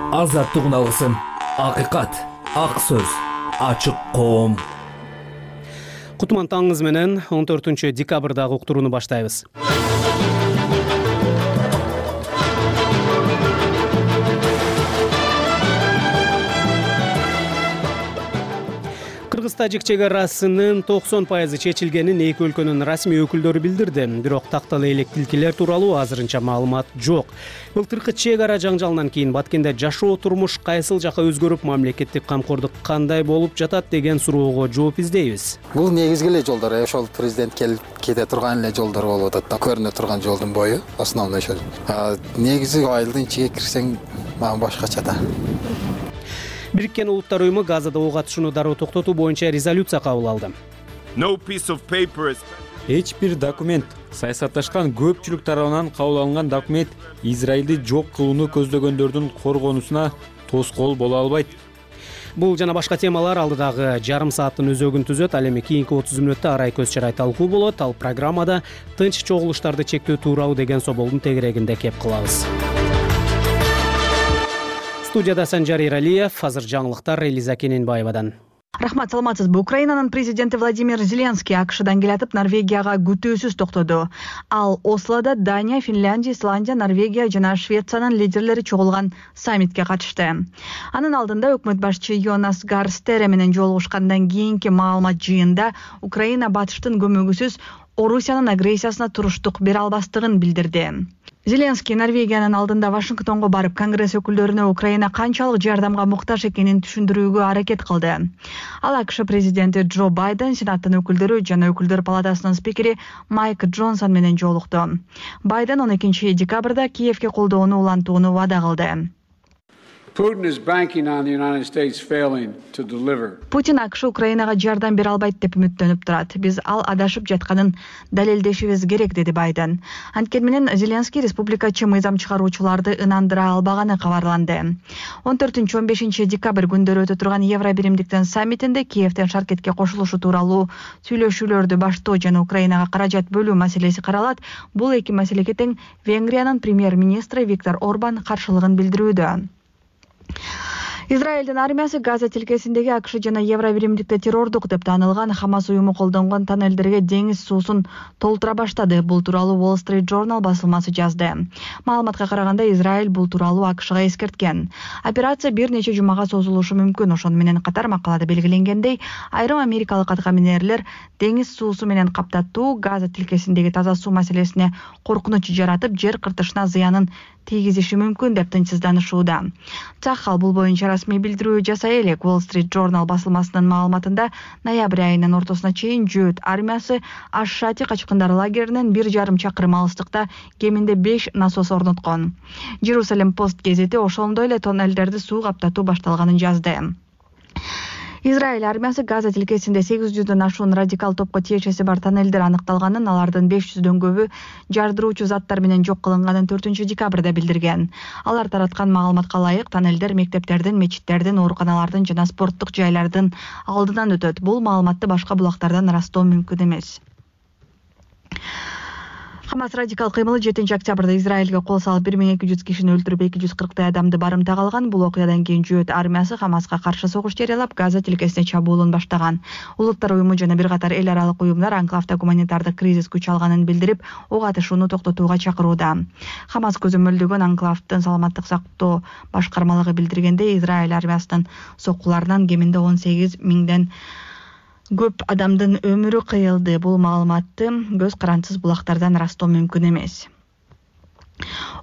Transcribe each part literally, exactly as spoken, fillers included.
Азаттык алгысым, акыйкат, ак сөз, ачык коом. Кутман таңыңыз менен он төртүнчү декабрдагы уктурууну баштайбыз. Кыргыз-Тажик чек арасынын токсон пайызы чечилгенин эки өлкөнүн расмий өкүлдөрү билдирди. Бирок тактала элек тилкелер тууралуу азырынча маалымат жок. Былтыркы чек ара жаңжалынан кийин Баткенде жашоо турмуш кайсыл жака өзгөрүп, мамлекеттик камкордук кандай болуп жатат деген суроого жооп издейбиз. Бул негизги эле жолдор, ошол президент келип кете турган эле жолдор болуп атат да, көрүнө турган жолдун бою основной ошол. Негизи айылдын ичиге кирсең мага башкача да. Бириккен Улуттар уюму Газада ок атышууну дароо токтотуу боюнча резолюция кабыл алды. Эч бир документ, саясатташкан көпчүлүк тарабынан кабыл алынган документ Израилди жок кылууну көздөгөндөрдүн коргонусуна тоскоол боло албайт. Бул жана башка темалар алдыдагы жарым сааттын өзөгүн түзөт. Ал эми кийинки отуз мүнөттө арай көз чарай талкуу болот. Ал программада тынч чогулуштарды чектөө тууралуу деген соболдун тегерегинде кеп кылабыз. Студияда Санжар Иралиев, азыр жаңылыктар Элиза Кененбаевадан. Рахмат, саламатсызбы. Украинанын президенти Владимир Зеленский АКШдан келатып Норвегияга күтүүсүз токтоду. Ал Ослода Дания, Финляндия, Исландия, Норвегия жана Швециянын лидерлери чогулган саммитке катышты. Анын алдында өкмөт башчы Йонас Гар Стере менен жолугушкандан кийинки маалымат жыйында Украина батыштын көмөгүсүз Орусиянын агрессиясына туруштук бере албастыгын билдирди. Зеленский Норвегиянын алдында Вашингтонго барып, Конгресс өкүлдөрүнө Украина канчалык жардамга муктаж экенин түшүндүрүүгө аракет кылды. Ал АКШ президенти Джо Байден, Сенаттын өкүлдөрү жана өкүлдөр палатасынын спикери Майк Джонсон менен жолукту. Байден он экинчи декабрда Киевге колдоону улантууну вада кылды. Путин АКШ Украинага жардам бере албайт деп үмүттөнүп турат. Биз ал адашып жатканын далилдешибиз керек, деди Байден. Анткени менен Зеленский республикачы мыйзам чыгаруучуларды ынандыра албаганы кабарланды. он төртүнчү он бешинчи декабрь күндөрү өтө турган Евро биримдиктин саммитинде Киевден Шаркетке кошулушу тууралуу сүйлөшүүлөрдү баштоо жана Украинага каражат бөлүү маселеси каралат. Бул эки маселеге тең Венгриянын премьер-министри Виктор Орбан каршылыгын билдирүүдө. Израилдин армиясы Газа тилкесиндеги АКШ жана Евро биримдикте террордук деп таанылган Хамас уюму колдонгон тоннелдерге деңиз суусун толтура баштады. Бул тууралуу Wall Street Journal басылмасы жазды. Маалыматка караганда Израиль бул тууралуу АКШга эскерткен. Операция бир нече жумага созулушу мүмкүн. Ошону менен катар макалада белгиленгендей, айрым америкалык аткаминерлер деңиз суусу менен каптатуу Газа тилкесиндеги таза суу маселесине коркунуч жаратып, жер кыртышына зыянын тийгизиши мүмкүн деп тынчсызданышууда. Цахал бул боюнча расмий билдирүү жасай элек. Wall Street Journal басылмасынын маалыматында ноябрь айынын ортосуна чейин Жөөт армиясы Аш-Шати качкындар лагеринен бир жарым чакырым алыстыкта кеминде беш насос орноткон. Jerusalem Post гезети ошондой эле тоннелдерди суу каптатуу башталганын жазды. Израиль армиясы Газа тилкесинде сегиз жүздөн ашуун радикал топко тиешеси бар тоннелдер аныкталганын, алардын беш жүздөн көбү жардыруучу заттар менен жок кылынганын төртүнчү декабрда билдирген. Алар тараткан маалыматка ылайык, тоннелдер мектептердин, мечиттердин, ооруканалардын жана спорттук жайлардын алдынан өтөт. Бул маалыматты башка булактардан ырастоо мүмкүн эмес. Хамас радикал кыймылы жетинчи октябрда Израилге кол салып бир миң эки жүз кишини өлтүрүп эки жүз кырктай адамды барымтага алган. Бул окуядан кийин Жөөт армиясы Хамаска каршы согуш жарыялап, Газа тилкесине чабуулун баштаган. Улуттар уюму жана бир катар эл аралык уюмдар анклавда гуманитардык кризис күч алганын билдирип, ок атышууну токтотууга чакырууда. Хамас көзөмөлдөгөн анклавдын саламаттык сактоо башкармалыгы билдиргендей, Израиль армиясынын соккуларынан кеминде он сегиз миңден көп адамдын өмүрү кыйылды. Бул маалыматты көз карансыз булактардан ырастоо мүмкүн эмес.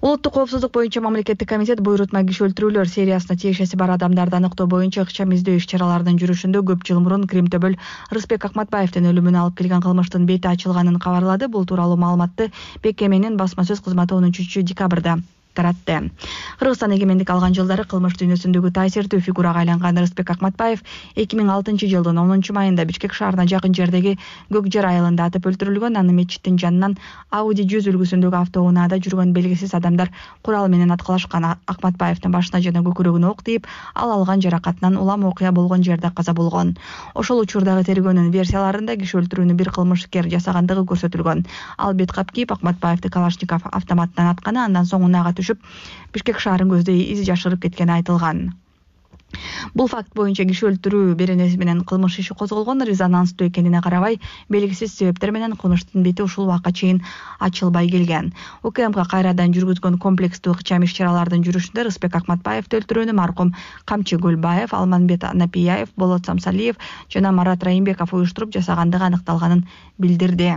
Улуттук коопсуздук боюнча мамлекеттик комитет буйрутма киши өлтүрүүлөр сериясына тиешеси бар адамдарды аныктоо боюнча ыкчам издөө иш-чараларынын жүрүшүндө көп жыл мурун Кримтөбөл Рыспек Акматбаевдин өлүмүнө алып келген кылмыштын бети ачылганын кабарлады. Бул тууралуу маалыматты БКМнин басма сөз кызматы он үчүнчү декабрда таратты. Кыргызстан эгемендик алган жылдары кылмыш дүйнөсүндөгү таасирдүү фигурага айланган Рыспек Акматбаев эки миң алтынчы жылдын онунчу майында Бишкек шаарына жакын жердеги Көк жер айылында атып өлтүрүлгөн. Аны мечиттин жанынан Audi жүз үлгүсүндөгү автоунаада жүргөн белгисиз адамдар курал менен аткылашкан. Акматбаевдин башына жана көкүрөгүнө ок тийип, ал алган жаракатынан улам окуя болгон жерде каза болгон. Ошол учурдагы тергөөнүн версияларында киши өлтүрүүнү бир кылмышкер жасагандыгы көрсөтүлгөн. Ал бет кап кийип, Акматбаевди Калашников автоматтан атканы, андан соң унаага түшүп, Бишкек шаарын көздөй из жашырып кеткени айтылган. Бул факт боюнча киши өлтүрүү беренеси менен кылмыш иши козголгон, резонанстуу экенине карабай, белгисиз себептер менен кылмыштын бети ушул убакка чейин ачылбай келген. УКМК кайрадан жүргүзгөн комплекстүү ыкчам иш-чаралардын жүрүшүндө Рыспек Акматбаевди өлтүрүүнү маркум Камчы Гөлбаев, Алманбет Напияев, Болот Самсалиев жана Марат Райымбеков уюштуруп жасагандыгы аныкталганын билдирди.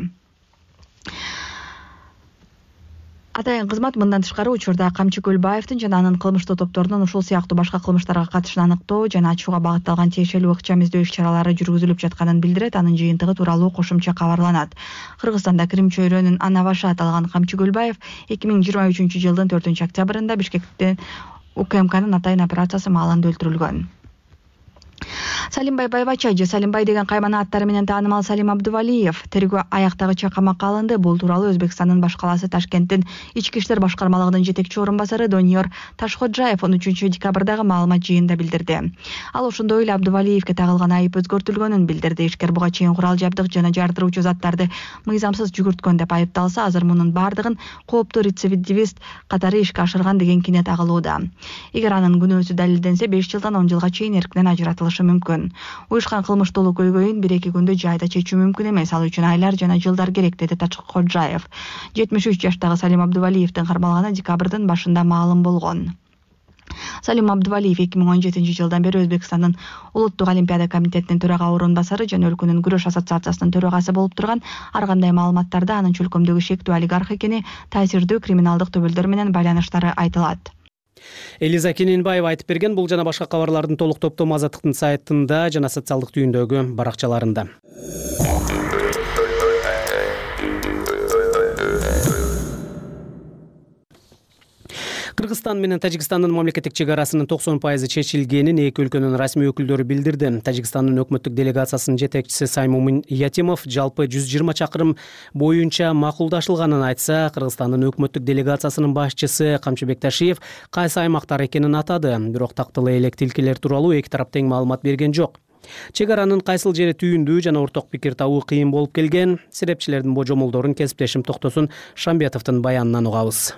Атайын кызмат мындан тышкары учурда Камчы Гөлбаевдин жана анын кылмыштуу топторунун ушул сыяктуу башка кылмыштарга катышын аныктоо жана ачууга багытталган тиешелүү ыкчам издөө иш-чаралары жүргүзүлүп жатканын билдирет. Анын жыйынтыгы тууралуу кошумча кабарланат. Кыргызстанда Крим чөйрөнүн ана башы аталган Камчы Гөлбаев эки миң жыйырма үчүнчү жылдын төртүнчү октябрында Бишкекте УКМКнын атайын операциясы маалында өлтүрүлгөн. Салимбай Байбачай же Салимбай деген каймана аттары менен таанымал Салим Абдувалиев тергөө аяктагыча камакка алынды. Бул тууралуу Өзбекстандын баш калаасы Ташкенттин ички иштер башкармалыгынын жетекчи орун басары Дониор Ташходжаев он үчүнчү декабрдагы маалымат жыйынында билдирди. Ал ошондой эле Абдувалиевке тагылган айып өзгөртүлгөнүн билдирди. Ишкер буга чейин курал жабдык жана жардыруучу заттарды мыйзамсыз жүгүрткөн деп айыпталса, азыр мунун бардыгын кооптуу рецидивист катары ишке ашырган деген кине тагылууда. Эгер анын күнөөсү далилденсе, беш жылдан он жылга чейин эркинен ажыратылышы мүмкүн. Уюшкан кылмыштуулук көйгөйүн бир-эки күндө жайда чечүү мүмкүн эмес, ал үчүн айлар жана жылдар керек, деди Ташходжаев. жетимиш үч жаштагы Салим Абдувалиевдин кармалганы декабрдын башында маалым болгон. Салим Абдувалиев эки миң он жетинчи жылдан бери Өзбекстандын Улуттук олимпиада комитетинин төрага орун басары жана өлкөнүн күрөш ассоциациясынын төрагасы болуп турган. Ар кандай маалыматтарда анын чөлкөмдөгү шектүү олигарх экени, таасирдүү криминалдык төбөлдөр менен байланыштары айтылат. Элиза Кененбаева айтып берген. Бул жана башка кабарлардын толук топтому Азаттыктын сайтында жана социалдык түйүндөгү баракчаларында. Кыргызстан менен Тажикстандын мамлекеттик чек арасынын токсон пайызы чечилгенин эки өлкөнүн расмий өкүлдөрү билдирди. Тажикстандын өкмөттүк делегациясынын жетекчиси Саймумин Ятимов жалпы жүз жыйырма чакырым боюнча макулдашылганын айтса, Кыргызстандын өкмөттүк делегациясынын башчысы Камчыбек Ташиев кайсы аймактар экенин атады. Бирок тактылы элек тилкелер тууралуу эки тарап тең маалымат берген жок. Чек аранын кайсыл жери түйүндүү жана орток пикир табуу кыйын болуп келген. Серепчилердин божомолдорун кесиптешим Токтосун Шамбетовдун баянынан угабыз.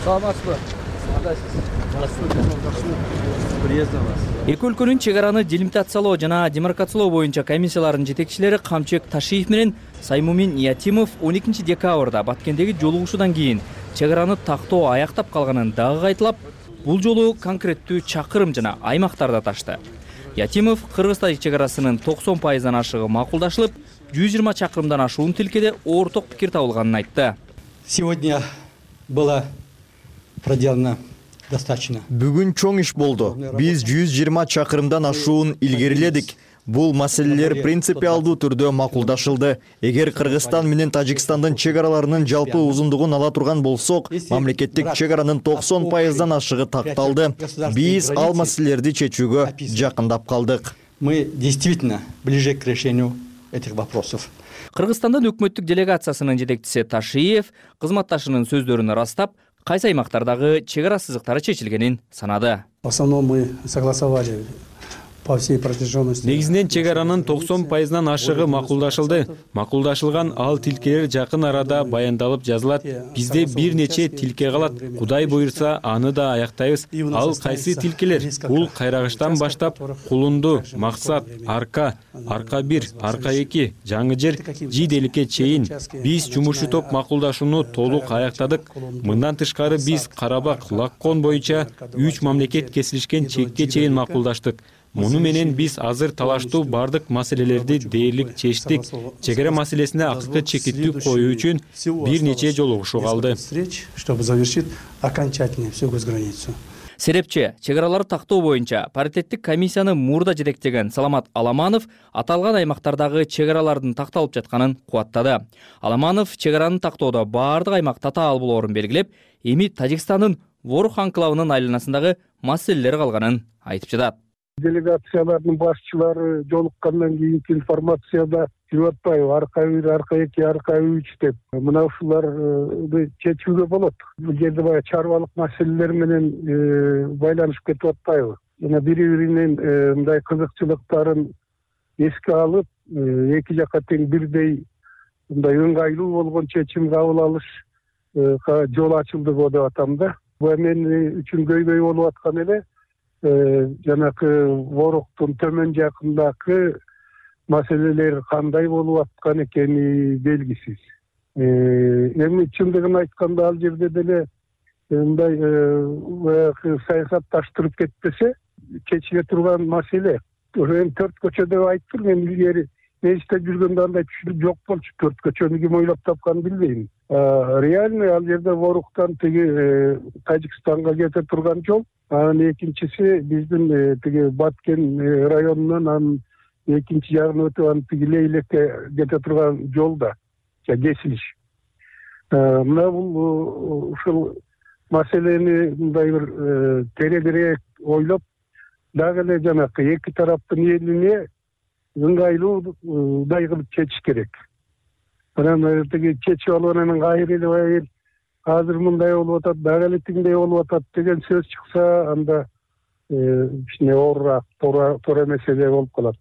Саламатсызбы? Эки өлкөнүн чек араны делимитациялоо жана демаркациялоо боюнча комиссияларынын жетекчилери Камчыбек Ташиев менен Саймумин Ятимов он экинчи декабрда Баткендеги жолугушуудан кийин чек араны тактоо аяктап калганын дагы кайталап, бул жолу конкреттүү чакырым жана аймактарды аташты. Ятимов Кыргыз-Тажик чек арасынын токсон пайыздан ашыгы макулдашылып, жүз жыйырма чакырымдан ашуун тилкеде орток пикир табылганын айтты. Сегодня было проделано достаточно. Бүгүн чоң иш болду. Биз жүз жыйырма чакырымдан ашуун илгериледик. Бул маселелер принципиалдуу түрдө макулдашылды. Эгер Кыргызстан менен Тажикстандын чек араларынын жалпы узундугун ала турган болсок, мамлекеттик чек аранын токсон пайыздан ашыгы такталды. Биз ал маселелерди чечүүгө жакындап калдык. Мы действительно ближе к решению этих вопросов. Кыргызстандын өкмөттүк делегациясынын жетекчиси Ташиев кызматташынын сөздөрүн ырастап, кайсы аймактардагы чек ара сызыктары чечилгенин санады. В основном мы согласовали по всей протяженности. Негизинен чек аранын токсон пайызынан ашыгы макулдашылды. Макулдашылган ал тилкелер жакын арада баяндалып жазылат. Бизде бир нече тилке калат. Кудай буйрса, аны да аяктайбыз. Ал кайсы тилкелер? Бул Кайрагыштан баштап Кулунду, Максат, Арка, Арка бир, Арка эки, Жаңы жер, Жиделикке чейин биз жумушчу топ макулдашууну толук аяктадык. Мындан тышкары биз Карабак, Лаккон боюнча үч мамлекет кесилишкен чекке чейин макулдаштык. Муну менен биз азыр талаштуу бардык маселелерди дээрлик чечтик. Чек ара маселесине акыркы чекиттүү коюу үчүн бир нече жолугушуу калды. Чтобы завершить окончательно всю госграницу. Серепчи чек араларды тактоо боюнча паритеттик комиссияны мурда жетектеген Саламат Аламанов аталган аймактардагы чек аралардын такталып жатканын кубаттады. Аламанов чек араны тактоодо бардык аймак татаал болоорун белгилеп, эми Тажикстандын Ворух анклавынын айланасындагы маселелер калганын айтып жатат. Делегациялардын башчылары жолуккандан кийинки информацияда жүрүп атпайбы, арка бир, арка эки, арка үч деп. Мына ушуларды чечүүгө болот. Бул жерде баягы чарбалык маселелер менен байланышып кетип атпайбы. Жана бири-биринин мындай кызыкчылыктарын эске алып, эки жакка тең бирдей мындай ыңгайлуу болгон чечим кабыл алыш жол ачылды го деп атам да. Бул мен үчүн көйгөй болуп аткан эле жанакы Воруктун төмөн жакындагы маселелер кандай болуп аткан экени белгисиз. Эми чындыгын айтканда ал жерде деле мындай баягы саясатташтырып кетпесе чечиле турган маселе. Эми төрт көчө деп айттым, мен илгери мейисте жүргөндө андай түшүнүк жок болчу. Төрт көчөнү ким ойлоп тапканын билбейм. Реально ал жерде Воруктан тиги Тажикстанга кете турган жол. Анан экинчиси биздин тиги Баткен районунан анын экинчи жагына өтүп анан тиги Лейлекке кете турган жол да кесилиш. Мына бул ушул маселени мындай бир тереңирээк ойлоп, дагы эле жанакы эки тараптын элине ыңгайлуудай кылып чечиш керек. Анан тиги чечип алып анан кайра эле баягы азыр мындай болуп атат, дагы эле тигиндей болуп атат деген сөз чыкса, анда кичине оорураак, туура меселе болуп калат.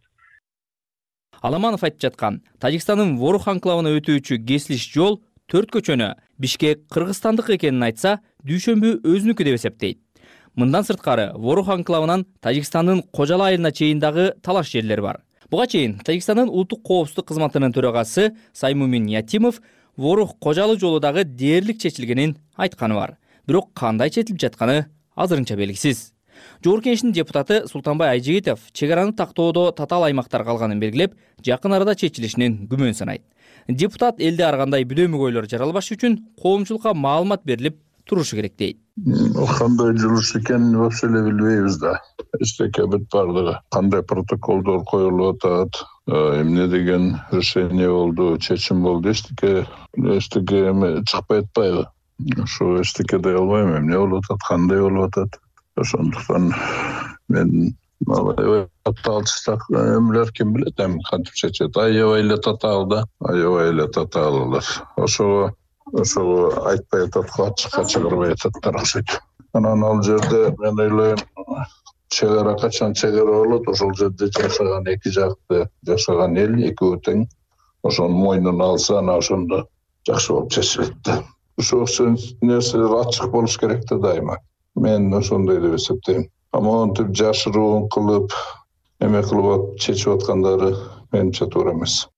Аламанов айтып жаткан Тажикстандын Ворух анклавына өтүүчү кесилиш жол төрт көчөнү Бишкек кыргызстандык экенин айтса, Дүйшөмбү өзүнүкү деп эсептейт. Мындан сырткары Ворух анклавынан Тажикстандын Кожала айылына чейин дагы талаш жерлер бар. Буга чейин Тажикстандын улуттук коопсуздук кызматынын төрагасы Саймумин Ятимов Ворух Кожалы жолу дагы дээрлик чечилгенин айтканы бар. Бирок кандай чечилип жатканы азырынча белгисиз. Жогорку Кеңештин депутаты Султанбай Айжигитов чек араны тактоодо татаал аймактар калганын белгилеп, жакын арада чечилишинин күмөн санайт. Депутат элде ар кандай бүдөмүк ойлор жаралбаш үчүн коомчулукка маалымат берилип турушу керек дейт. Кандай жүрүш экенин вообще эле билбейбиз да. Эчтеке бүт бардыгы. Кандай протоколдор коюлуп атат, эмне деген решение болду, чечим болду, эчтеке эчтеке чыкпай атпайбы. Ошо эчтеке дей албайм, эмне болуп атат, кандай болуп атат. Ошондуктан мен татаалчылык эмелер ким билет, эми кантип чечет. Аябай эле татаал да, аябай эле татаал алар. Ошого ошого айтпай атат, ачыкка чыгарбай ататтар окшойт. Анан ал жерде мен ойлойм, чек ара качан чек ара болот, ошол жерде жашаган эки жакты жашаган эл экөө тең ошонун мойнуна алса, анан ошондо жакшы болуп чечилет да. Ошо нерселер ачык болуш керек да дайыма. Мен ошондой деп эсептейм. Монтип жашыруун кылып, эме кылып чечип аткандары менимче туура эмес.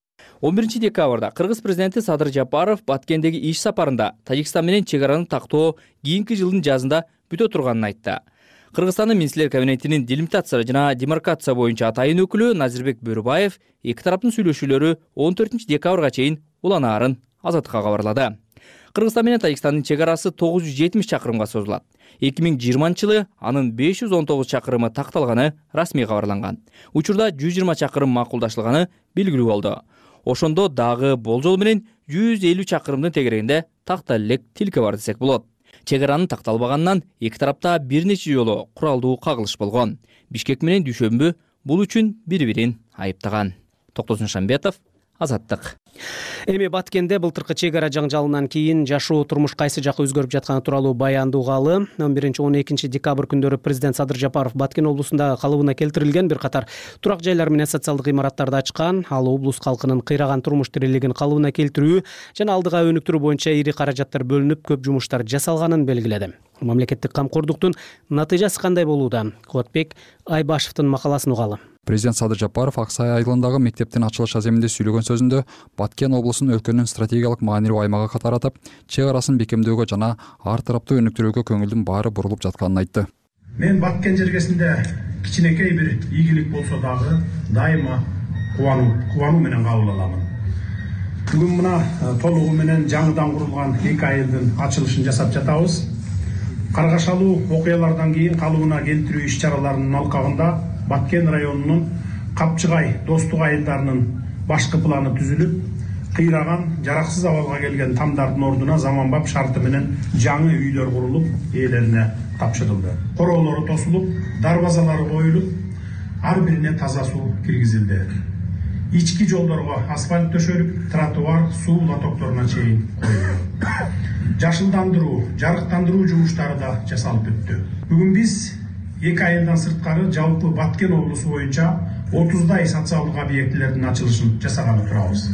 он биринчи декабрда Кыргыз президенти Садыр Жапаров Баткендеги иш сапарында Тажикстан менен чек араны тактоо кийинки жылдын жазында бүтө турганын айтты. Кыргызстандын министрлер кабинетинин делимитация жана демаркация боюнча атайын өкүлү Назирбек Бөрүбаев эки тараптын сүйлөшүүлөрү он төртүнчү декабрга чейин уланаарын Азаттыкка кабарлады. Кыргызстан менен Тажикстандын чек арасы тогуз жүз жетимиш чакырымга созулат. эки миң жыйырманчы жылы анын беш жүз он тогуз чакырымы такталганы расмий кабарланган. Учурда жүз жыйырма чакырым макулдашылганы белгилүү болду. Ошондо дагы болжол менен жүз элүү чакырымдын тегерегинде тактал элек тилке бар десек болот. Чек аранын такталбаганынан эки тарапта бир нече жолу куралдуу кагылыш болгон. Бишкек менен Дүйшөмбү бул үчүн бири-бирин айыптаган. Токтосун Шамбетов, Азаттык. Эми Баткенде былтыркы чек ара жаңжалынан кийин жашоо турмуш кайсы жакка өзгөрүп жатканы тууралуу баяндуугалы он биринчи он экинчи декабрь күндөрү президент Садыр Жапаров Баткен облусунда калыбына келтирилген бир катар турак жайлар менен социалдык имараттарды ачкан. Ал облус калкынын кыйраган турмуш тирелигин калыбына келтирүү жана алдыга өнүктүрүү боюнча ири каражаттар бөлүнүп, көп жумуштар жасалганын белгиледи. Мамлекеттик камкордуктун натыйжасы кандай болууда? Кубатбек Айбашевдин макаласын угалы. Президент Садыр Жапаров Ак Сай айылындагы мектептин ачылыш аземинде сүйлөгөн сөзүндө Баткен облусун өлкөнүн стратегиялык маанилүү аймагы катары атап, чек арасын бекемдөөгө жана ар тараптуу өнүктүрүүгө көңүлдүн баары бурулуп жатканын айтты. Мен Баткен жергесинде кичинекей бир ийгилик болсо дагы дайыма кубануу кубануу менен кабыл аламын. Бүгүн мына толугу менен жаңыдан курулган эки айылдын ачылышын жасап жатабыз. Каргашалуу окуялардан кийин калыбына келтирүү иш-чараларынын алкагында Баткен районунун Капчыгай достук айылдарынын башкы планы түзүлүп, кыйраган, жараксыз абалга келген тамдардын ордуна заманбап шарты менен жаңы үйлөр курулуп, ээлерине тапшырылды. Короолору тосулуп, дарбазалары коюлуп, ар бирине таза суу киргизилди. Ички жолдорго асфальт төшөлүп, тротуар, суу лотокторуна чейин коюлду. Жашылдандыруу, жарыктандыруу жумуштары да жасалып бүттү. Бүгүн биз эки айылдан сырткары жалпы Баткен облусу боюнча отуздай социалдык объектилердин ачылышын жасаганы турабыз.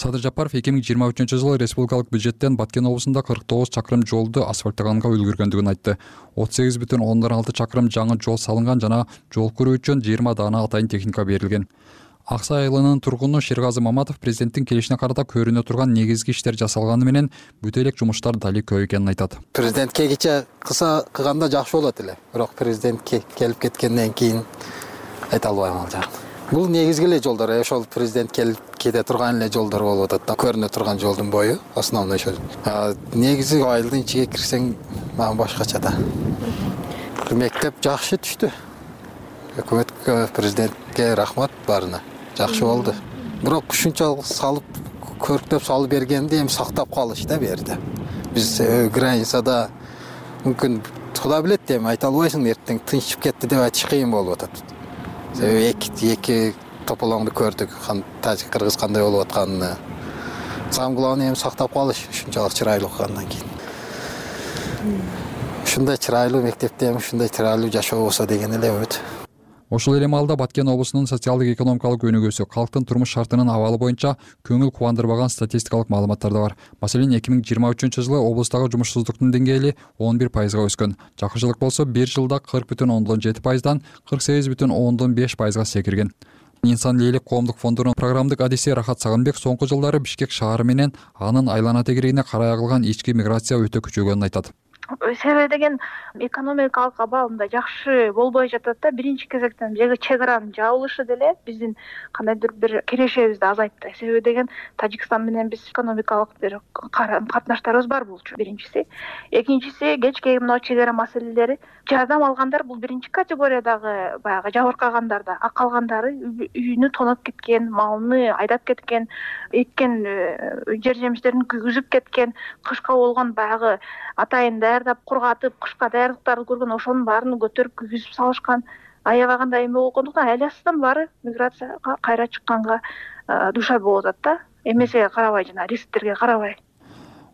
Садыр Жапаров эки миң жыйырма үчүнчү жылы республикалык бюджеттен Баткен облусунда кырк тогуз чакырым жолду асфальттаганга үлгүргөндүгүн айтты. отуз сегиз бүтүн ондон алты чакырым жаңы жол салынган жана жол куруу үчүн жыйырма даана атайын техника берилген. Аксай айылынын тургуну Шергазы Маматов президенттин келишине карата көрүнө турган негизги иштер жасалганы менен бүтө элек жумуштар дали көп экенин айтат. Президентке кече кыса кылганда жакшы болот эле, бирок президентке келип кеткенден кийин айта албайм ал жагын. Бул негизги эле жолдор, ошол президент келип кете турган эле жолдор болуп атат да, көрүнө турган жолдун бою основной ошол. Негизи айылдын ичиге кирсең мага башкача да. Мектеп жакшы түштү. Өкмөткө, президентке рахмат барына. Жакшы болду. Бирок ушунчалык салып, көрктөп салып бергенди эми сактап калыш да берди. Биз границада мүмкүн Кудай билет эми айта албайсың, эртең тынчып кетти деп айтыш кыйын болуп атат. Себеби эки эки тополоңду көрдүк, Тажик Кыргыз кандай болуп атканын. Самгыланы эми сактап калыш ушунчалык чырайлуу кылгандан кийин. Ушундай чырайлуу мектепте эми ушундай чырайлуу жашоо болсо деген эле үмүт. Ошол эле маалда Баткен облусунун социалдык экономикалык өнүгүүсү, калктын турмуш шартынын абалы боюнча көңүл кубандырбаган статистикалык маалыматтар да бар. Маселен, эки миң жыйырма үчүнчү жылы облустагы жумушсуздуктун деңгээли он бир пайызга өскөн. Жакшылык болсо бир жылда кырк бүтүн ондон жети пайыздан кырк сегиз бүтүн ондон беш пайызга секирген. Инсан ээлик коомдук фондунун программдык адиси Рахат Сагынбек соңку жылдары Бишкек шаары менен анын айлана тегерегине карай агылган ички миграция өтө күчөгөнүн айтат. Себеби деген экономикалык абал мындай жакшы болбой жатат да. Биринчи кезектен жеги чек аранын жабылышы деле биздин кандайдыр бир кирешебизди азайтты. Себеби деген Тажикстан менен биз экономикалык бир катнаштарыбыз бар болчу биринчиси. Экинчиси кечки мына чек ара маселелери. Жардам алгандар бул биринчи категориядагы баягы жабыркагандар да, а калгандары үйүнү тоноп кеткен, малыны айдап кеткен, эккен жер жемиштерин күйгүзүп кеткен, кышка болгон баягы атайын даярдап кургатып, кышка даярдыктарды көргөн ошонун баарын көтөрүп күйгүзүп салышкан. Аябаганда эме болгондуктан айласынан баары миграцияга кайра чыкканга дуушар болуп атат да. Эмесеге карабай жана рисктерге карабай.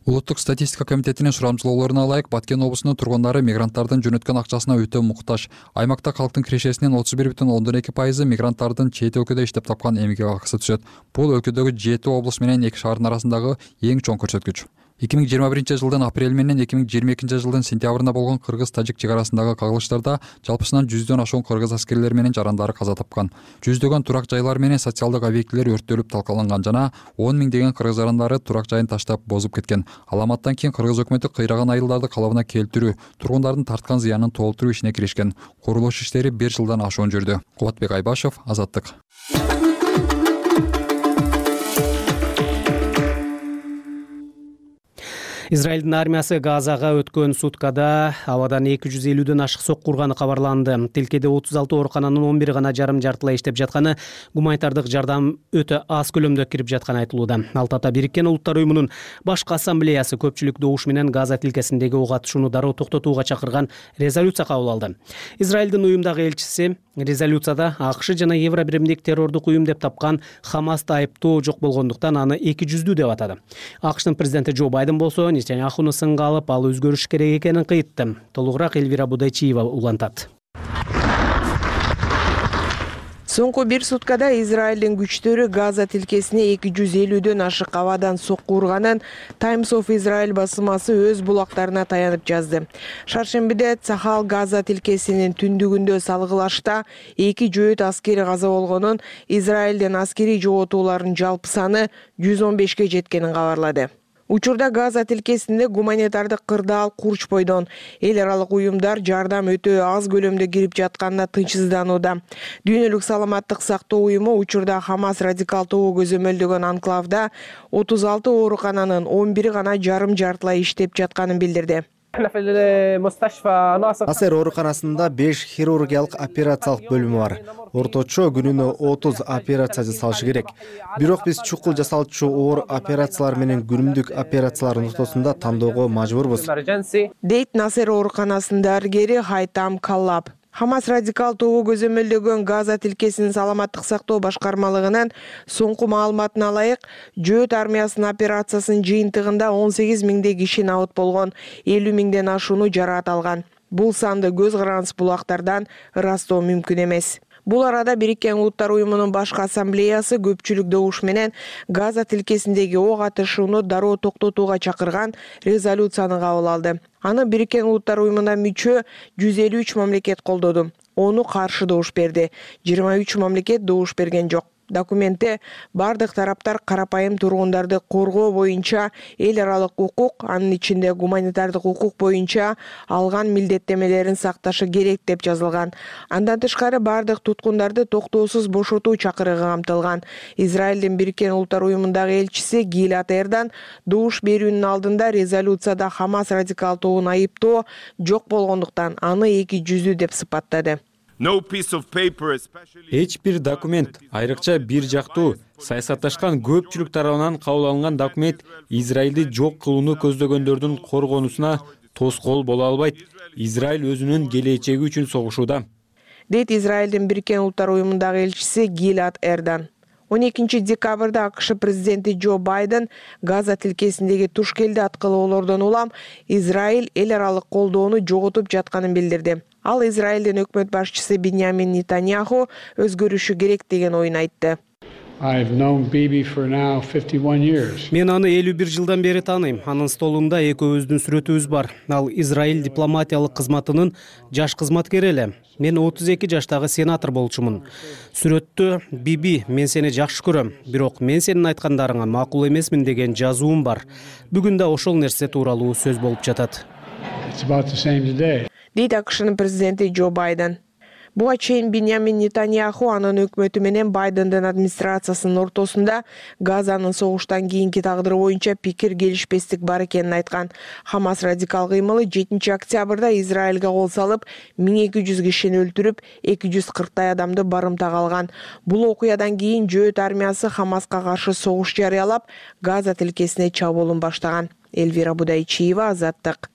Улуттук статистика комитетинин сурамжылоолоруна ылайык, Баткен облусунун тургундары мигранттардын жөнөткөн акчасына өтө муктаж. Аймакта калктын кирешесинин отуз бир бүтүн ондон эки пайызы мигранттардын чет өлкөдө иштеп тапкан эмгек акысы түшөт. Бул өлкөдөгү жети облус менен эки шаардын арасындагы эң чоң көрсөткүч. эки миң жыйырма биринчи жылдын апрель менен эки миң жыйырма экинчи жылдын сентябрында болгон кыргыз-тажик чек арасындагы кагылыштарда жалпысынан жүздөн ашуун кыргыз аскерлери менен жарандары каза тапкан. Жүздөгөн турак жайлар менен социалдык объектилер өрттөлүп талкаланган жана он миңдеген кыргыз жарандары турак жайын таштап бозуп кеткен. Аламаттан кийин кыргыз өкмөтү кыйраган айылдарды калыбына келтирүү, тургундардын тарткан зыянын толтуруу ишине киришкен. Курулуш иштери бир жылдан ашуун жүрдү. Кубатбек Айбашев, Азаттык. Израилдин армиясы Газага өткөн суткада абадан эки жүз элүүдөн ашык сокку урганы кабарланды. Тилкеде отуз алты оорукананын он бир гана жарым жартылай иштеп жатканы, гуманитардык жардам өтө аз көлөмдө кирип жатканы айтылууда. Ал тапта Бириккен Улуттар уюмунун башкы ассамблеясы көпчүлүк добуш менен Газа тилкесиндеги ок атышууну дароо токтотууга чакырган резолюция кабыл алды. Израилдин уюмдагы элчиси резолюцияда АКШ жана Евробиримдик террордук уюм деп тапкан Хамасты айыптоо жок болгондуктан аны эки жүздүү деп атады. АКШтын президенти Джо Байден болсо Нетаньяхуну сынга алып, ал өзгөрүш керек экенин кыйтты. Толугураак Элвира Будайчиева улантат. Соңку бир суткада Израилдин күчтөрү Газа тилкесине эки жүз элүүдөн ашык абадан сокку урганын Times of Israel басымасы өз булактарына таянып жазды. Шаршембиде Цахал Газа тилкесинин түндүгүндө салгылашта эки жөөт аскери каза болгонун, Израилдин аскери жоготууларынын жалпы саны жүз он бешке жеткенин кабарлады. Учурда Газа тилкесинде гуманитардык кырдаал курч бойдон эл аралык уюмдар жардам өтө аз көлөмдө кирип жатканына тынчсызданууда. Дүйнөлүк саламаттык сактоо уюму учурда Хамас радикал тобу көзөмөлдөгөн анклавда отуз алты оорукананын он бири гана жарым жартылай иштеп жатканын билдирди. Асер ооруканасында беш хирургиялык операциялык бөлүмү бар. Орточо күнүнө отуз операция жасалышы керек. Бирок биз чукул жасалчу оор операциялар менен күнүмдүк операциялардын ортосунда тандоого мажбурбуз, дейт Насер ооруканасынын дарыгери Хайтам Каллап. Хамас радикал тобу көзөмөлдөгөн Газа тилкесинин саламаттык сактоо башкармалыгынын соңку маалыматына ылайык, жөөт армиясынын операциясынын жыйынтыгында он сегиз миңдей киши набыт болгон, элүү миңден ашууну жараат алган. Бул санды көз карандысыз булактардан ырастоо мүмкүн эмес. Бул арада Бириккен Улуттар уюмунун башкы ассамблеясы көпчүлүк добуш менен Газа тилкесиндеги ок атышууну дароо токтотууга чакырган резолюцияны кабыл алды. Аны Бириккен Улуттар уюмуна мүчө жүз элүү үч мамлекет колдоду. Ону каршы добуш берди. жыйырма үч мамлекет добуш берген жок. Документте бардык тараптар карапайым тургундарды коргоо боюнча эл аралык укук, анын ичинде гуманитардык укук боюнча алган милдеттемелерин сакташы керек деп жазылган. Андан тышкары бардык туткундарды токтоосуз бошотуу чакырыгы камтылган. Израилдин Бириккен Улуттар уюмундагы элчиси Гилад Эрдан добуш берүүнүн алдында резолюцияда Хамас радикал тобун айыптоо жок болгондуктан аны эки жүздүү деп сыпаттады. Эч бир документ, айрыкча бир жактуу, саясатташкан көпчүлүк тарабынан кабыл алынган документ Израилди жок кылууну көздөгөндөрдүн коргонусуна тоскоол боло албайт. Израиль өзүнүн келечеги үчүн согушууда, дейт Израилдин Бириккен Улуттар уюмундагы элчиси Гилад Эрдан. он экинчи декабрда АКШ президенти Джо Байден Газа тилкесиндеги туш келди аткылоолордон улам Израиль эл аралык колдоону жоготуп жатканын билдирди. Ал Израилдин өкмөт башчысы Биньямин Нетаньяху өзгөрүшү керек деген оюн айтты. Мен аны элүү бир жылдан бери тааныйм. Анын столунда экөөбүздүн сүрөтүбүз бар. Ал Израиль дипломатиялык кызматынын жаш кызматкери эле. Мен отуз эки жаштагы сенатор болчумун. Сүрөттө Биби, мен сени жакшы көрөм, бирок мен сенин айткандарыңа макул эмесмин деген жазуум бар. Бүгүн да ошол нерсе тууралуу сөз болуп жатат. Дейт АКШнын президенти Джо Байден. Буга чейин Биньямин Нетаньяху анын өкмөтү менен Байдендин администрациясынын ортосунда Газанын согуштан кийинки тагдыры боюнча пикир келишпестик бар экенин айткан. Хамас радикал кыймылы жетинчи октябрда Израилге кол салып, миң эки жүз кишини өлтүрүп, эки жүз кырктай адамды барымтага алган. Бул окуядан кийин Жөөт армиясы Хамаска каршы согуш жарыялап, Газа тилкесине чабуулун баштаган. Элвира Будайчиева, Азаттык.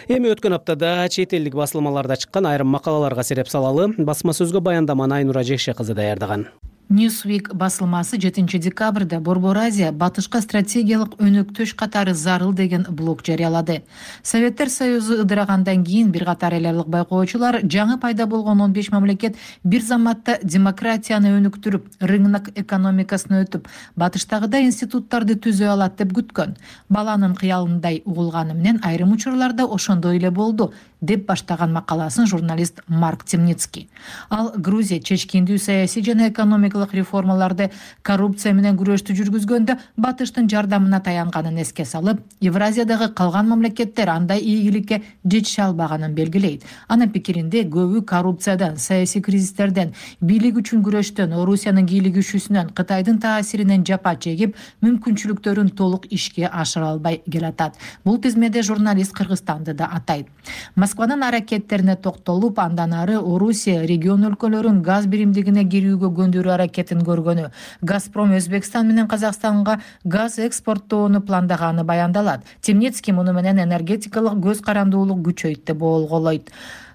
Эми өткөн аптада чет элдик басылмаларда чыккан айрым макалаларга сереп салалы. Басма сөзгө баяндаманы Айнура Жекше кызы даярдаган. Newsweek басылмасы жетинчи декабрда Борбор Азия батышка стратегиялык өнөктөш катары зарыл деген блог жарыялады. Советтер Союзу ыдырагандан кийин бир катар эл аралык байкоочулар жаңы пайда болгон он беш мамлекет бир заматта демократияны өнүктүрүп, рынок экономикасын өтүп, батыштагыдай институттарды түзө алат деп күткөн. Баланын кыялындай угулганы менен айрым учурларда ошондой эле болду деп баштаган макаласын журналист Марк Темницкий. Ал Грузия чечкиндүү саясий жана экономикалык реформаларды коррупция менен күрөштү жүргүзгөндө батыштын жардамына таянганын эске салып, Евразиядагы калган мамлекеттер андай ийгиликке жетише албаганын белгилейт. Анын пикиринде көбү коррупциядан, саясий кризистерден, бийлик үчүн күрөштөн, Орусиянын кийлигишүүсүнөн, Кытайдын таасиринен жапа чегип, мүмкүнчүлүктөрүн толук ишке ашыра албай келатат. Бул тизмеде журналист Кыргызстанды да атайт. Москванын аракеттерине токтолуп, андан ары Орусия регион өлкөлөрүн газ биримдигине кирүүгө көндүрүү аракетин көргөнү, Газпром Өзбекстан менен Казакстанга газ экспорттоону пландаганы баяндалат. Темницкий муну менен энергетикалык көз карандуулук күчөйт деп болголойт.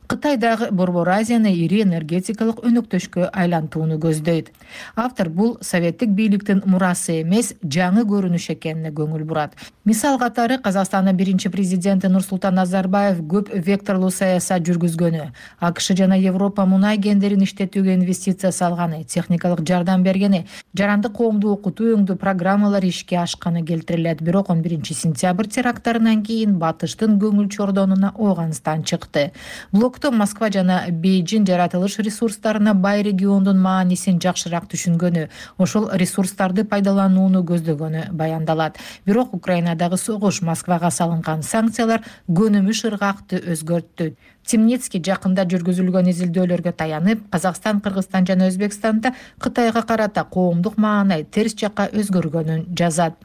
Кытай дагы Борбор Азияны ири энергетикалык өнөктөшкө айлантууну көздөйт. Автор бул советтик бийликтин мурасы эмес, жаңы көрүнүш экенине көңүл бурат. Мисал катары Казакстандын биринчи президенти Нурсултан Назарбаев көп векторлуу саясат жүргүзгөнү, АКШ жана Европа мунай кендерин иштетүүгө инвестиция салганы, техникалык жардам бергени, жарандык коомду окутуу өңдүү программалар ишке ашканы келтирилет. Бирок он биринчи сентябрь теракттарынан кийин батыштын көңүл чордонуна Ооганстан чыкты. Блокто Москва жана Бейжин жаратылыш ресурстарына бай региондун маанисин жакшыраак түшүнгөнү, ошол ресурстарды пайдаланууну көздөгөнү баяндалат. Бирок Украинадагы согуш, Москвага салынган санкциялар көнүмүш ыргакты өзгөрттү. Темницкий жакында жүргүзүлгөн изилдөөлөргө таянып, Казакстан, Кыргызстан жана Өзбекстанда Кытайга карата коомдук маанай терс жакка өзгөргөнүн жазат.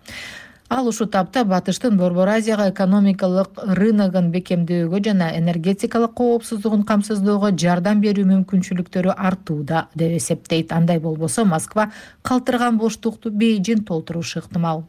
Ал ушул тапта батыштын Борбор Азияга экономикалык рыногун бекемдөөгө жана энергетикалык коопсуздугун камсыздоого жардам берүү мүмкүнчүлүктөрү артууда деп эсептейт. Андай болбосо Москва калтырган боштукту Бейжин толтурушу ыктымал.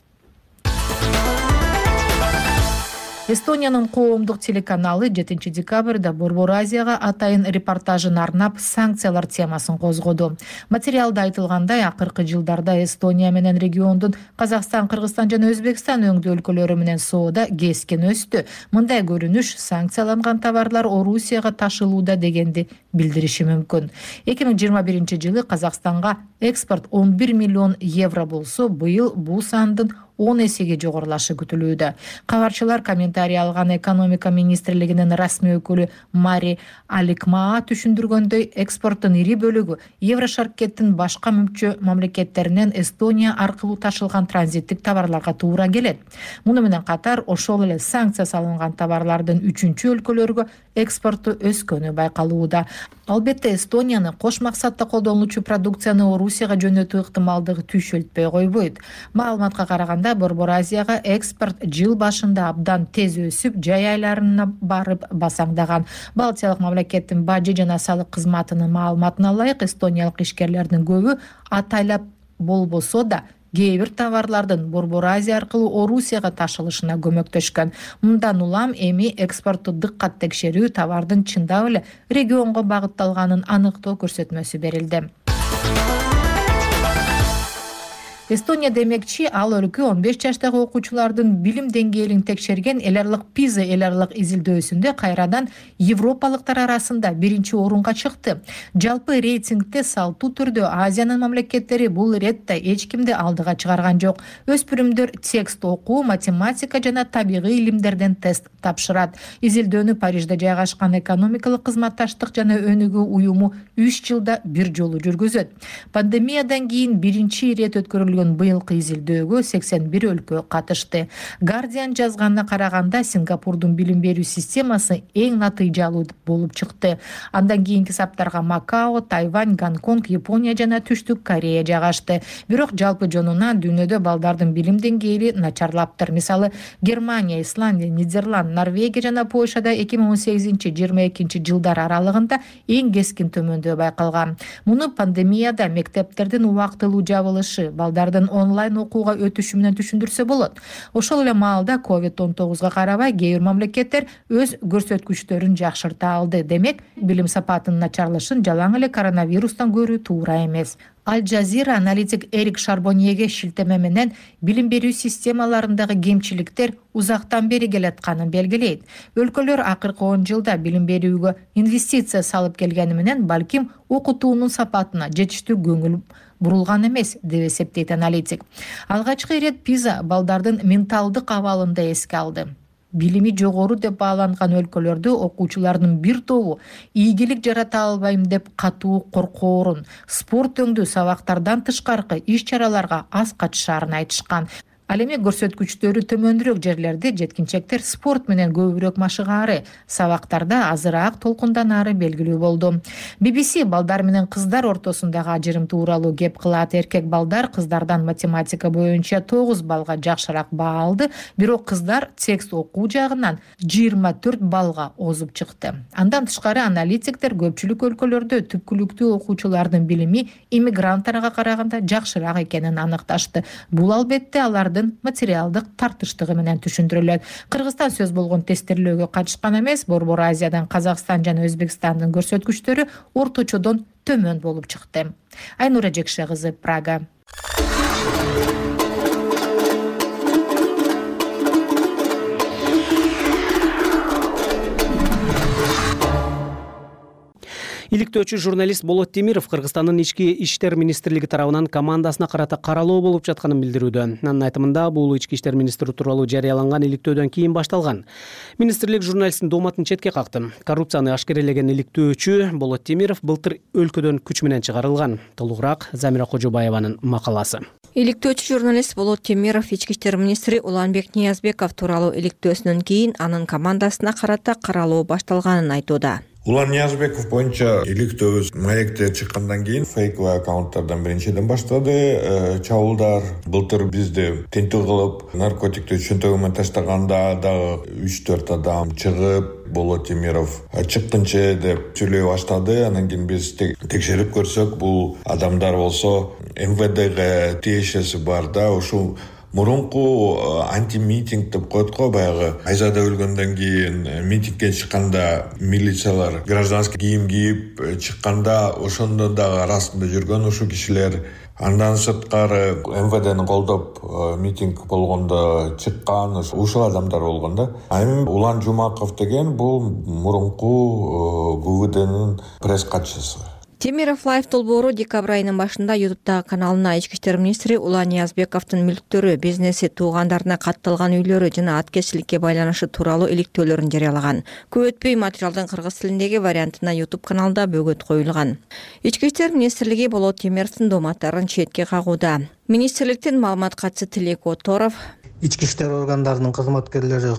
Эстониянын коомдук телеканалы жетинчи декабрда Борбор Азияга атайын репортажын арнап санкциялар темасын козгоду. Материалда айтылгандай, акыркы жылдарда Эстония менен региондун Казакстан, Кыргызстан жана Өзбекстан өңдүү өлкөлөрү менен соода кескен өстү. Мындай көрүнүш санкцияланган товарлар Орусияга ташылууда дегенди билдириши мүмкүн. эки миң жыйырма биринчи жылы Казакстанга экспорт он бир миллион евро болсо, быйыл бул сандын он эсеге жогорулашы күтүлүүдө. Кабарчылар комментарий алган экономика министрлигинин расмий өкүлү Мари Аликмаа түшүндүргөндөй, экспорттун ири бөлүгү Еврошаркеттин башка мүчө мамлекеттеринен Эстония аркылуу ташылган транзиттик товарларга туура келет. Муну менен катар ошол эле санкция салынган товарлардын үчүнчү өлкөлөргө экспорту өскөнү байкалууда. Албетте Эстонияны кош максатта колдонулуучу продукцияны Орусияга жөнөтүү ыктымалдыгы түшөлтпөй койбойт. Маалыматка караганда Борбор Азияга экспорт жыл башында абдан тез өсүп, жай айларына барып басаңдаган. Балтиялык мамлекеттин бажы жана салык кызматынын маалыматына ылайык, эстониялык ишкерлердин көбү атайлап болбосо да кээ бир товарлардын Борбор Азия аркылуу Орусияга ташылышына көмөктөшкөн. Мындан улам эми экспортту дыккат текшерүү, товардын чындап эле регионго багытталганын аныктоо көрсөтмөсү берилди. Эстония демекчи, ал өлкө он беш жаштагы окуучулардын билим деңгээлин текшерген эл аралык пиза эл аралык изилдөөсүндө кайрадан европалыктар арасында биринчи орунга чыкты. Жалпы рейтингде салтуу түрдө Азиянын мамлекеттери бул иретте эч кимди алдыга чыгарган жок. Өспүрүмдөр текст окуу, математика жана табигый илимдерден тест тапшырат. Изилдөөнү Парижде жайгашкан экономикалык кызматташтык жана өнүгүү уюму үч жылда бир жолу жүргүзөт. Пандемиядан кийин биринчи ирет өткөрүлгөн быйылкы изилдөөгө сексен бир өлкө катышты. Guardian жазганына караганда, Сингапурдун билим берүү системасы эң натыйжалуу болуп чыкты. Андан кийинки саптарга Макао, Тайвань, Гонконг, Япония жана Түштүк Корея жайгашты. Бирок жалпы жонунан дүйнөдө балдардын билим деңгээли начарлаптыр. Мисалы, Германия, Исландия, Нидерланд, Норвегия жана Польшада эки миң он сегизинчи — жыйырма экинчи жылдар аралыгында эң кескин төмөндөө байкалган. Муну пандемияда мектептердин убактылуу жабылышы, балдардын онлайн окууга өтүшү менен түшүндүрсө болот. Ошол эле маалда ковид он тогузга карабай кээ бир мамлекеттер өз көрсөткүчтөрүн жакшырта алды. Демек, билим сапатынын начарлашын жалаң эле коронавирустан көрүү туура эмес. Аль Жазира аналитик Эрик Шарбоньеге шилтеме менен билим берүү системаларындагы кемчиликтер узактан бери келатканын белгилейт. Өлкөлөр акыркы он жылда билим берүүгө инвестиция салып келгени менен балким окутуунун сапатына жетиштүү көңүл бурулган эмес, деп эсептейт аналитик. Алгачкы ирет пиза балдардын менталдык абалында эске алды. Билими жогору деп бааланган өлкөлөрдө окуучулардын бир тобу ийгилик жарата албайм деп катуу коркоорун, спорт өңдүү сабактардан тышкаркы иш-чараларга аз катышаарын айтышкан. Ал эми көрсөткүчтөрү төмөндүрөөк жерлерде жеткинчектер спорт менен көбүрөөк машыгаары, сабактарда азыраак толкунданаары белгилүү болду. би би си балдар менен кыздар ортосундагы ажырым тууралуу кеп кылат. Эркек балдар кыздардан математика боюнча тогуз балга жакшыраак баа алды, бирок кыздар текст окуу жагынан жыйырма төрт балга озуп чыкты. Андан тышкары аналитиктер көпчүлүк өлкөлөрдө түпкүлүктүү окуучулардын билими иммигранттарга караганда жакшыраак экенин аныкташты. Бул албетте алардын материалдык тартыштыгы менен түшүндүрүлөт. Кыргызстан сөз болгон тестирлөөгө катышкан эмес, Борбор Азиядан Казакстан жана Өзбекстандын көрсөткүчтөрү орточодон төмөн болуп чыкты. Айнура Жекше кызы, Прага. Иликтөөчү журналист Болот Темиров Кыргызстандын ички иштер министрлиги тарабынан командасына карата каралоо болуп жатканын билдирүүдө. Анын айтымында, бул ички иштер министри тууралуу жарыяланган иликтөөдөн кийин башталган. Министрлик журналисттин дооматын четке какты. Коррупцияны ашкерелеген иликтөөчү Болот Темиров былтыр өлкөдөн күч менен чыгарылган. Толугураак Замира Кожобаеванын макаласы. Иликтөөчү журналист Болот Темиров ички иштер министри Уланбек Ниязбеков тууралуу иликтөөсүнөн кийин анын командасына карата каралоо башталганын айтууда. Улан Ниязбеков боюнча иликтөө маекте чыккандан кийин фейковый аккаунттардан биринчиден баштады чабуулдар. Былтыр бизди тинтүү кылып, наркотикти чөнтөгү менен таштаганда дагы үч төрт адам чыгып, Болот Темиров чыккынчы деп сүйлөй баштады. Анан кийин биз текшерип көрсөк, бул адамдар болсо эм вэ дге тиешеси бар да, ушул мурунку антимитинг деп коет го, баягы Айзада өлгөндөн кийин митингге чыкканда милициялар гражданский кийим кийип чыкканда ошондо дагы арасында жүргөн ушул кишилер Андан сырткары эм вэ дени колдоп митинг болгондо чыккан ушул адамдар болгон да. А эми Улан Жумаков деген бул мурунку гэ вэ дэнин пресс катчысы. Темиров Лайф долбоору декабрь айынын башында ютубтагы каналына ички иштер министри Улан Ниязбековдун мүлктөрү, бизнеси, туугандарына катталган үйлөрү жана аткезчиликке байланышы тууралуу иликтөөлөрүн жарыялаган. Көп өтпөй материалдын кыргыз тилиндеги вариантына ютуб каналда бөгөт коюлган. Ички иштер министрлиги Болот Темировдун дооматтарын четке кагууда. Министрликтин маалымат катчысы Тилек Оторов ички иштер органдарынын кызматкерлери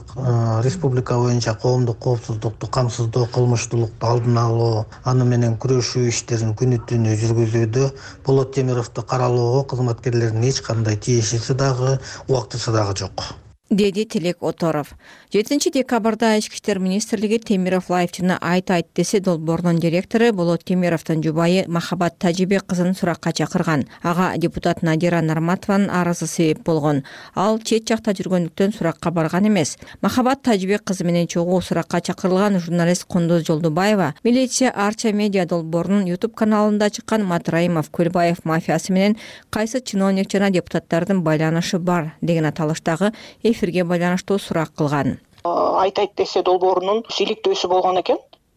республика боюнча коомдук коопсуздукту камсыздоо, кылмыштуулукту алдын алуу, аны менен күрөшүү иштерин күнү түнү жүргүзүүдө. Болот Темировду каралоого кызматкерлердин эч кандай тиешеси дагы, убактысы дагы жок, деди Тилек Оторов. жетинчи декабрда ички иштер министрлиги Темиров Лайф жана Айт Айт десе долбоорунун директору Болот Темировдун жубайы Махабат Тажибек кызын суракка чакырган. Ага депутат Надира Нарматованын арызы себеп болгон. Ал чет жакта жүргөндүктөн суракка барган эмес. Махабат Тажибек кызы менен чогуу суракка чакырылган журналист Кундуз Жолдубаева милиция Арча медиа долбоорунун ютуб каналында чыккан Матраимов Көлбаев мафиясы менен кайсы чиновник жана депутаттардын байланышы бар деген аталыштагы эфирге байланыштуу сурак кылган. Айт Айт десе долбоорунун иликтөөсү болгон экен.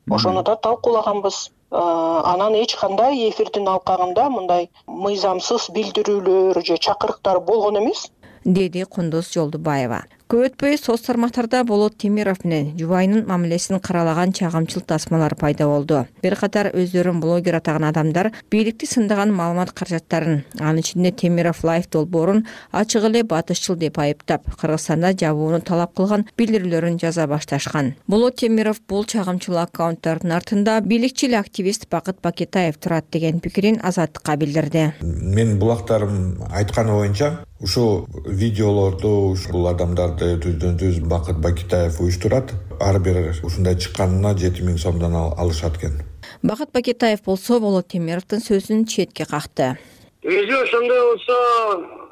Ошону да талкуулаганбыз. Анан эч кандай эфирдин алкагында мындай мыйзамсыз билдирүүлөр же чакырыктар болгон эмес, деди Кундуз Жолдубаева. Көп өтпөй соц тармактарда Болот Темиров менен жубайынын мамилесин каралаган чагымчыл тасмалар пайда болду. Бир катар өздөрүн блогер атаган адамдар бийликти сындаган маалымат каражаттарын, анын ичинде Темиров Лайф долбоорун ачык эле батышчыл деп айыптап, Кыргызстанда жабууну талап кылган билдирүүлөрүн жаза башташкан. Болот Темиров бул чагымчыл аккаунттардын артында бийликчил активист Бакыт Бакетаев турат деген пикирин Азаттыкка билдирди. Мен булактарым айтканы боюнча ушул видеолорду ушул адамдар түздөн түз Бакыт Бакетаев уюштурат. Ар бир ушундай чыкканына жети миң сомдон алышат экен. Бакыт Бакетаев болсо Болот Темировдун сөзүн четке какты. Өзү ошондой болсо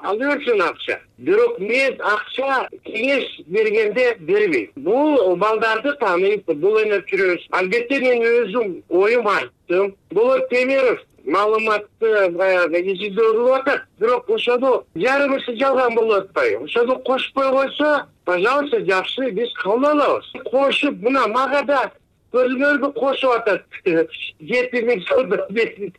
алып берсин акча. Бирок мен акча кеңеш бергенде бербейм. Бул балдарды тааныйт, бул өнөп жүрөбүз. Албетте мен өзүм оюм айттым. Болот Темиров маалыматты баягы изилдөө атат. Бирок ошону жарымысы жалган болуп атпайбы? Ошону кошпой койсо, пожалуйста, жакшы, биз кабыл алабыз. Кошуп, мына мага да көрүнгөргө кошуп атат. жети миң сомдон берди,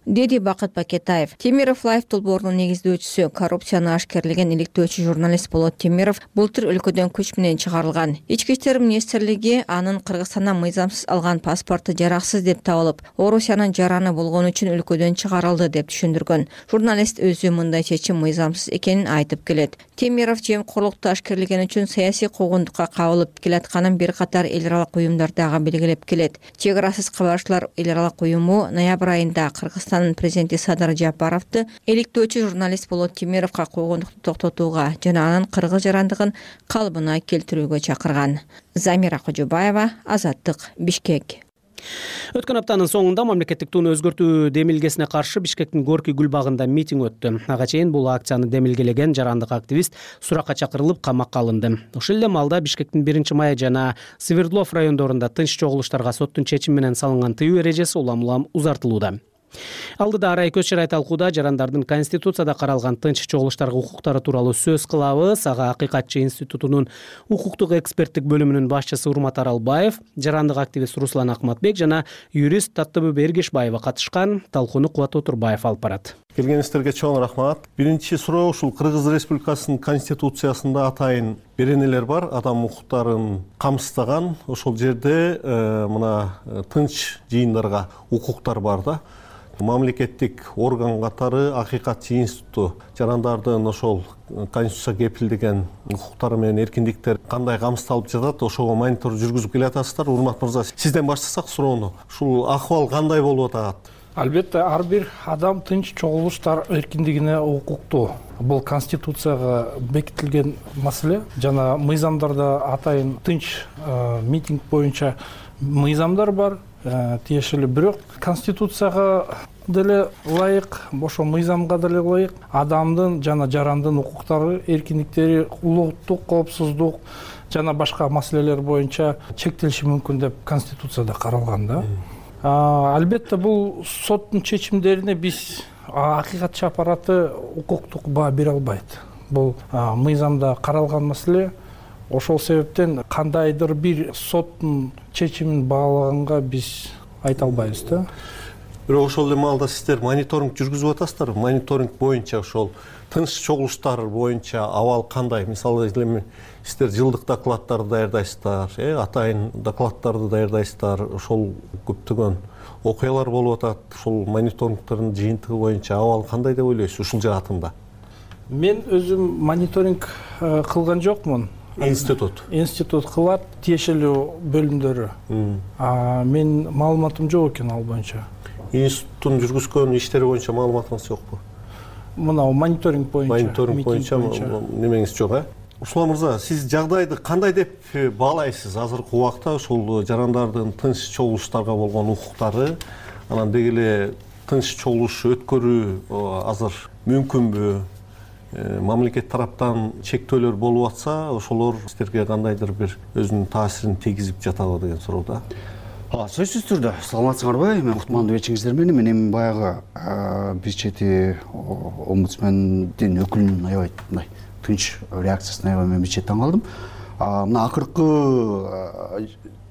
деди Бакыт Бакетаев. Темиров Лайф долбоорунун негиздөөчүсү, коррупцияны ашкерлеген иликтөөчү журналист Болот Темиров былтыр өлкөдөн күч менен чыгарылган. Ички иштер министрлиги анын Кыргызстандан мыйзамсыз алган паспорту жараксыз деп табылып, Орусиянын жараны болгон үчүн өлкөдөн чыгарылды деп түшүндүргөн. Журналист өзү мындай чечим мыйзамсыз экенин айтып келет. Темиров жемкорлукту ашкерлеген үчүн саясий куугундукка кабылып келатканын бир катар эл аралык уюмдар дагы белгилеп келет. Чек арасыз кабарчылар эл аралык уюму ноябрь айында Кыргызстан президенти Садыр Жапаровду иликтөөчү журналист Болот Темировго куугундукту токтотууга жана анын кыргыз жарандыгын калыбына келтирүүгө чакырган. Замира Кожобаева, Азаттык, Бишкек. Өткөн аптанын соңунда мамлекеттик туunu өзгөртүү демилгесине каршы Бишкектин Горький гүл багында митинг өттү. Ага чейин бул акцияны демилгелеген жарандык активист суракка чакырылып камакка алынды. Ошол эле маалда Бишкектин биринчи май жана Свердлов райондорунда тынч чогулуштарга соттун чечими менен салынган тыюу эрежеси улам-улам узартылууда. Алдыда арай көз чарай талкууда жарандардын Конституцияда каралган тынч чогулуштарга укуктары тууралуу сөз кылабыз. Ага Акыйкатчы институтунун укуктук эксперттик бөлүмүнүн башчысы Урмат Аралбаев, жарандык активист Руслан Акматбек жана юрист Таттыбү Бергешбаева катышкан. Талкууну Кубат Отурбаев алып барат. Келгениңиздерге чоң рахмат. Биринчи суроо ушул Кыргыз Республикасынын Конституциясында атайын беренелер бар, адам укуктарын камсыздаган. Ошол жерде мына тынч жыйындарга укуктар бар да. Мамлекеттик орган катары Акыйкатчы институту жарандардын ошол Конституция кепилдеген укуктары менен эркиндиктер кандай камсыздалып жатат, ошого монитор жүргүзүп келатасыздар. Урмат мырза, сизден баштасак суроону. Ушул акыбал кандай болуп атат? Албетте ар бир адам тынч чогулуштар эркиндигине укуктуу. Бул Конституцияга бекитилген маселе. Жана мыйзамдарда атайын тынч митинг боюнча мыйзамдар бар. Тиешелүү, бирок Конституцияга деле ылайык, ошо мыйзамга деле ылайык адамдын жана жарандын укуктары, эркиндиктери, улуттук коопсуздук жана башка маселелер боюнча чектелиши мүмкүн деп Конституцияда каралган да. Албетте бул соттун чечимдерине биз акыйкатчы аппараты укуктук баа бере албайт. Бул мыйзамда каралган маселе. Ошол себептен кандайдыр бир соттун чечимин баалаганга биз айта албайбыз да. Бирок ошол эле маалда сиздер мониторинг жүргүзүп атасыздар. Мониторинг боюнча ошол тынч чогулуштар боюнча абал кандай? Мисалы эми сиздер жылдык докладдарды даярдайсыздар, э, атайын докладдарды даярдайсыздар. Ошол көптөгөн окуялар болуп атат. Ошол мониторингтердин жыйынтыгы боюнча абал кандай деп ойлойсуз ушул жаатында? Мен өзүм мониторинг кылган жокмун. Институт. Институт кылат, тиешелүү бөлүмдөрү. Мен маалыматым жок экен ал боюнча. Институттун жүргүзгөн иштери боюнча маалыматыңыз жокпу? Мына мониторинг боюнча. Мониторинг боюнча немеңиз жок, э? Услан мырза, сиз жагдайды кандай деп баалайсыз азыркы убакта ушул жарандардын тынч чогулуштарга болгон укуктары, анан деги эле тынч чогулуш өткөрүү азыр мүмкүнбү? Мамлекет тараптан чектөөлөр болуп атса, ошолор сиздерге кандайдыр бир өзүнүн таасирин тийгизип жатабы деген суроо да. Сөзсүз түрдө саламатсыңарбы? Мен уктмандуу эчиңиздер менен мен баягы биз чети омбудсмендин өкүлүнүн аябай мындай тынч реакциясына аябай мен бич таң калдым. Мына акыркы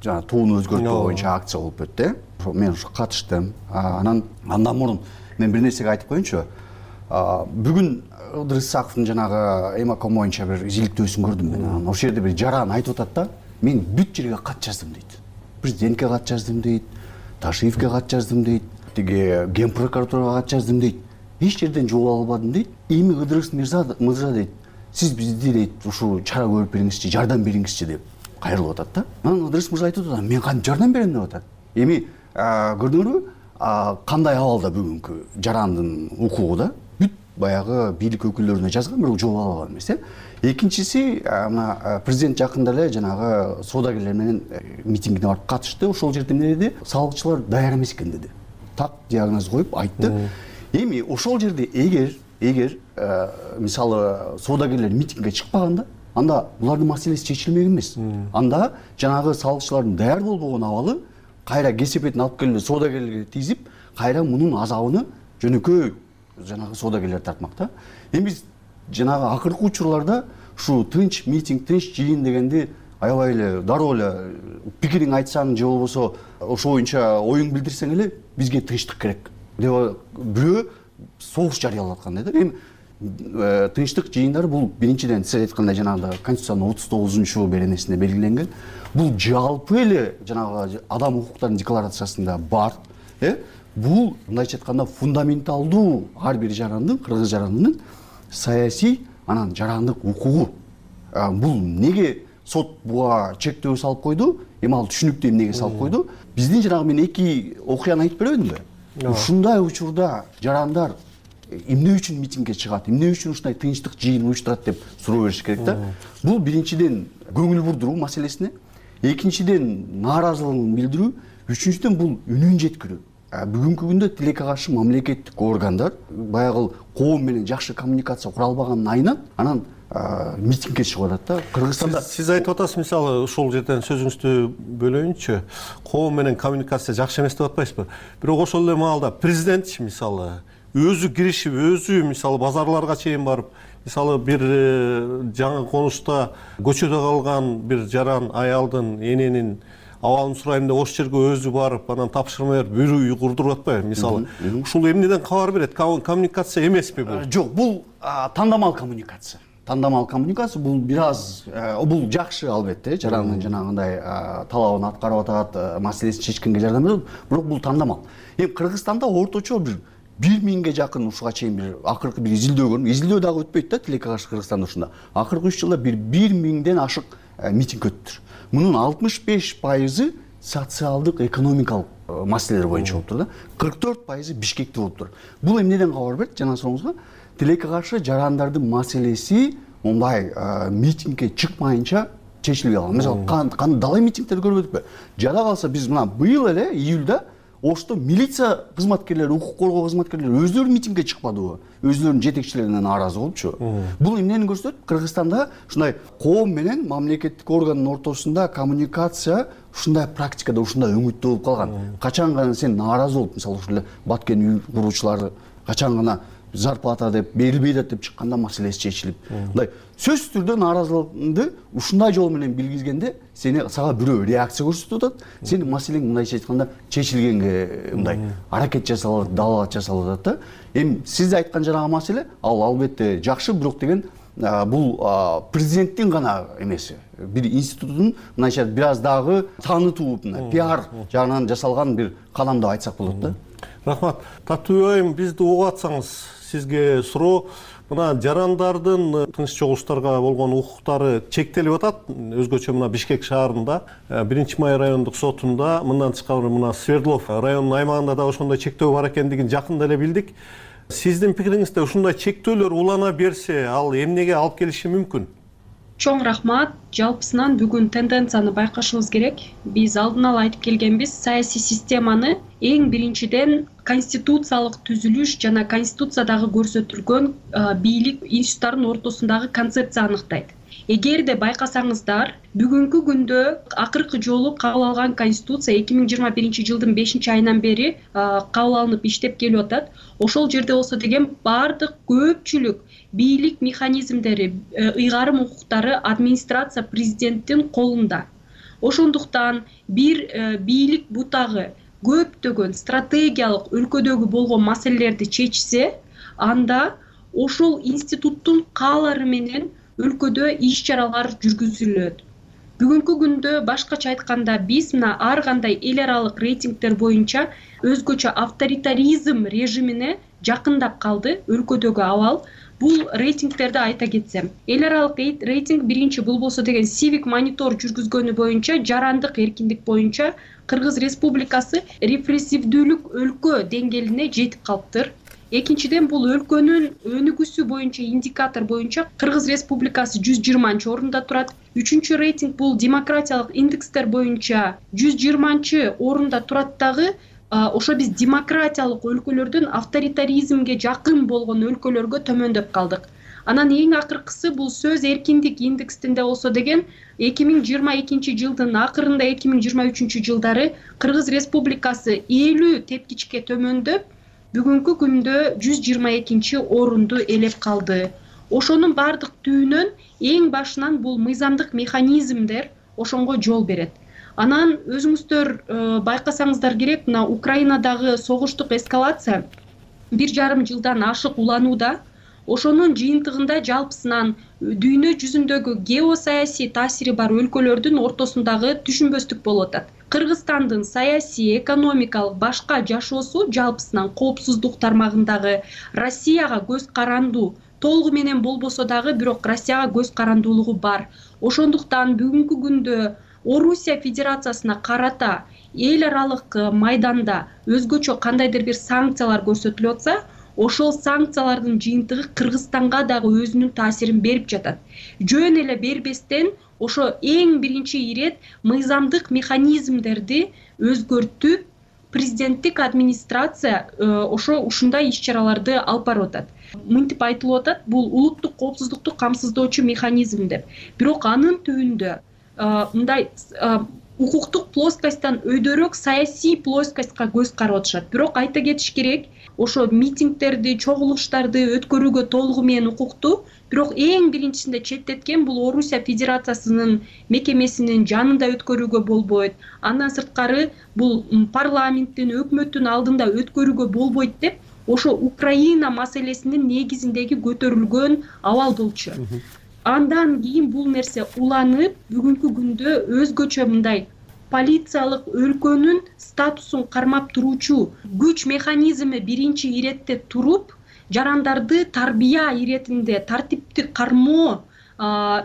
жана тууну өзгөртүү боюнча акция болуп өттү. Мен ушу катыштым. Анан андан мурун мен бир нерсеге айтып коеюнчу. Бүгүн Ыдырыс Исаковдун жанагы Эмаком боюнча бир изилдөөсүн көрдүм мен. Ошол жерде бир жаран айтып атат да, мен бүт жерге кат жаздым дейт. Президентке кат жаздым дейт, Ташиевке кат жаздым дейт, тиги Ген прокуратурага кат жаздым дейт. Эч жерден жооп албадым дейт. Эми Ыдырыс мырза дейт, сиз бизди дейт ушул чара көрүп бериңизчи, жардам бериңизчи деп кайрылып атат да. Анан Ыдырыс мырза айтып атат, мен кантип жардам берем деп атат. Эми көрдүңөрбү, кандай абалда бүгүнкү жарандын укугу да? Баягы бийлик өкүлдөрүнө жазган, бирок жооп ала алган эмес, э. Экинчиси, мына президент жакында эле жанагы соодагерлер менен митингине барып катышты. Ошол жерде эмне деди? Салыкчылар даяр эмес экен деди. Так диагноз коюп айтты. Эми ошол жерде эгер эгер мисалы соодагерлер митингге чыкпаганда, анда булардын маселеси чечилмек эмес. Анда жанагы салыкчылардын даяр болбогон абалы кайра кесепетин алып келип соодагерлерге тийзип, кайра мунун азабын жөнөкөй жанагы соодагерлер тартмак да. Эми биз жанагы акыркы учурларда ушу тынч митинг, тынч жыйын дегенди аябай эле дароо эле пикириң айтсаң же болбосо ошо боюнча оюң билдирсең эле бизге тынчтык керек деп бирөө согуш жарыялап аткандай да. Эми тынчтык жыйындары бул биринчиден сиз айткандай жанагы Конституциянын отуз тогузунчу беренесинде белгиленген. Бул жалпы эле жанагы адам укуктарынын декларациясында бар, э? Бул мындайча айтканда фундаменталдуу ар бир жарандын, кыргыз жарандынын саясий анан жарандык укугу. Бул неге сот буга чектөө салып койду? Эми ал түшүнүктүү эмнеге салып койду? Биздин жанагы мен эки окуяны айтып бербедимби? Ушундай учурда жарандар эмне үчүн митингге чыгат, эмне үчүн ушундай тынчтык жыйын уюштурат деп суроо бериш керек да. Бул биринчиден көңүл бурдуруу маселесине, экинчиден нааразылыгын билдирүү, үчүнчүдөн бул үнүн жеткирүү. Бүгүнкү күндө тилекке каршы мамлекеттик органдар баягы коом менен жакшы коммуникация кура албаганын айынан анан митингге чыгып атат да. Кыргызстанда сиз айтып атасыз, мисалы ошол жерден сөзүңүздү бөлөйүнчү, коом менен коммуникация жакшы эмес деп атпайсызбы? Бирок ошол эле маалда президент мисалы өзү киришип, өзү мисалы базарларга чейин барып, мисалы бир жаңы конушта көчөдө калган бир жаран аялдын эненин абалын сурайм деп ошол жерге өзү барып, анан тапшырма берип, бир үй курдуруп атпайбы? Мисалы, ушул эмнеден кабар берет? Коммуникация эмеспи бул? Жок, бул тандамал коммуникация. Тандамал коммуникация бул бир аз бул жакшы албетте, жарандын жанагындай талабын аткарып атат, маселесин чечкенге жардам берет, бирок бул тандамал. Эми Кыргызстанда орточо бир бир миңге жакын ушуга чейин бир акыркы бир изилдөө көрдүм. Изилдөө дагы өтпөйт да тилекке каршы Кыргызстанда ушунда. Акыркы үч жылда бир бир миңден ашык митинг өттү. Мунун алтымыш беш пайызы социалдык, экономикалык маселелер боюнча болуптур да. кырк төрт пайызы Бишкекте болуптур. Бул эмнеден кабар берет? Жана сооңузга тилекке каршы жарандардын маселеси мындай митингге чыкмайынча чечилбей калган. Мисалы, кандай далай митингдерди көрбөдүкпү? Жада калса биз мына быйыл эле июлда Ошто милиция кызматкерлери, укук коргоо кызматкерлери өздөрү митингге чыкпадыбы? Өздөрүнүн жетекчилеринен нааразы болупчу. Бул эмнени көрсөтөт? Кыргызстанда ушундай коом менен мамлекеттик органдын ортосунда коммуникация ушундай практикада, ушундай өңүттө болуп калган. Качан гана сен нааразы болуп, мисалы ушул эле Баткен үй куруучулары качан гана зарплата деп берилбейт деп чыкканда маселеси чечилип, мындай сөзсүз түрдө нааразылыгыңды ушундай жол менен билгизгенде сени сага бирөө реакция көрсөтүп атат, сенин маселең мындайча айтканда чечилгенге мындай аракет жасалып, далаат жасалып атат да. Эми сиз айткан жанагы маселе ал албетте жакшы, бирок деген бул президенттин гана эмес, бир институттун мындайча бир аз дагы таанытуу, пиар жагынан жасалган бир кадам деп айтсак болот да. Рахмат. Таттуу айым, бизди угуп атсаңыз, сизге суроо, мына жарандардын тынч чогулуштарга болгон укуктары чектелип атат. Өзгөчө мына Бишкек шаарында, биринчи май райондук сотунда, мындан тышкары мына Свердлов районунун аймагында да ошондой чектөө бар экендигин жакында эле билдик. Сиздин пикириңизде ушундай чектөөлөр улана берсе, ал эмнеге алып келиши мүмкүн? Чоң рахмат. Жалпысынан бүгүн тенденцияны байкашыбыз керек. Биз алдын ала айтып келгенбиз, саясий системаны эң биринчиден конституциялык түзүлүш жана конституциядагы көрсөтүлгөн бийлик институттарынын ортосундагы концепция аныктайт. Эгерде байкасаңыздар, бүгүнкү күндө акыркы жолу кабыл алган конституция эки миң жыйырма биринчи жылдын бешинчи айынан бери кабыл алынып иштеп келип атат. Ошол жерде болсо деген бардык көпчүлүк бийлик механизмдери, ыйгарым укуктары администрация президенттин колунда. Ошондуктан бир бийлик бутагы көптөгөн стратегиялык өлкөдөгү болгон маселелерди чечсе, анда ошол институттун каалары менен өлкөдө иш чаралар жүргүзүлөт. Бүгүнкү күндө башкача айтканда биз мына ар кандай эл аралык рейтингдер боюнча өзгөчө авторитаризм режимине жакындап калды өлкөдөгү абал. Бул рейтингтерди айта кетсем, эл аралык рейтинг биринчи бул болсо деген Civic Monitor жүргүзгөнү боюнча жарандык эркиндик боюнча Кыргыз Республикасы репрессивдүүлүк өлкө деңгээлине жетип калыптыр. Экинчиден бул өлкөнүн өнүгүүсү боюнча индикатор боюнча Кыргыз Республикасы жүз жыйырманчы орунда турат. Үчүнчү рейтинг бул демократиялык индекстер боюнча жүз жыйырманчы орунда турат дагы. Ошо биз демократиялык өлкөлөрдөн авторитаризмге жакын болгон өлкөлөргө төмөндөп калдык. Анан эң акыркысы бул сөз эркиндик индексинде болсо деген эки миң жыйырма экинчи жылдын акырында эки миң жыйырма үчүнчү жылдары Кыргыз Республикасы элүү тепкичке төмөндөп, бүгүнкү күндө жүз жыйырма экинчи орунду ээлеп калды. Ошонун бардык түбүнөн эң башынан бул мыйзамдык механизмдер ошонго жол берет. Анан өзүңүздөр байкасаңыздар керек, мына Украинадагы согуштук эскалация бир жарым жылдан ашык уланууда. Ошонун жыйынтыгында жалпысынан дүйнө жүзүндөгү геосаясий таасири бар өлкөлөрдүн ортосундагы түшүнбөстүк болуп атат. Кыргызстандын саясий, экономикалык башка жашоосу жалпысынан коопсуздук тармагындагы Россияга көз карандуу толугу менен болбосо дагы, бирок Россияга көз карандуулугу бар. Ошондуктан бүгүнкү күндө Орусия Федерациясына карата эл аралык майданда өзгөчө кандайдыр бир санкциялар көрсөтүлүп атса, ошол санкциялардын жыйынтыгы Кыргызстанга дагы өзүнүн таасирин берип жатат. Жөн эле бербестен ошо эң биринчи ирет мыйзамдык механизмдерди өзгөртүп, президенттик администрация ошо ушундай иш чараларды алып барып атат. Мынтип айтылып атат, бул улуттук коопсуздукту камсыздоочу механизм деп. Бирок анын түбүндө мындай укуктук плоскостьтан өйдөрөөк саясий плоскостька көз карап атышат. Бирок айта кетиш керек, ошо митингдерди, чогулуштарды өткөрүүгө толугу менен укуктуу, бирок эң биринчисинде четтеткен бул Орусия Федерациясынын мекемесинин жанында өткөрүүгө болбойт. Андан сырткары бул парламенттин, өкмөттүн алдында өткөрүүгө болбойт деп, ошо Украина маселесинин негизиндеги көтөрүлгөн абал болчу. Андан кийин бул нерсе уланып, бүгүнкү күндө өзгөчө мындай полициялык өлкөнүн статусун кармап туруучу күч механизми биринчи иретте туруп, жарандарды тарбия иретинде тартиптик кармоо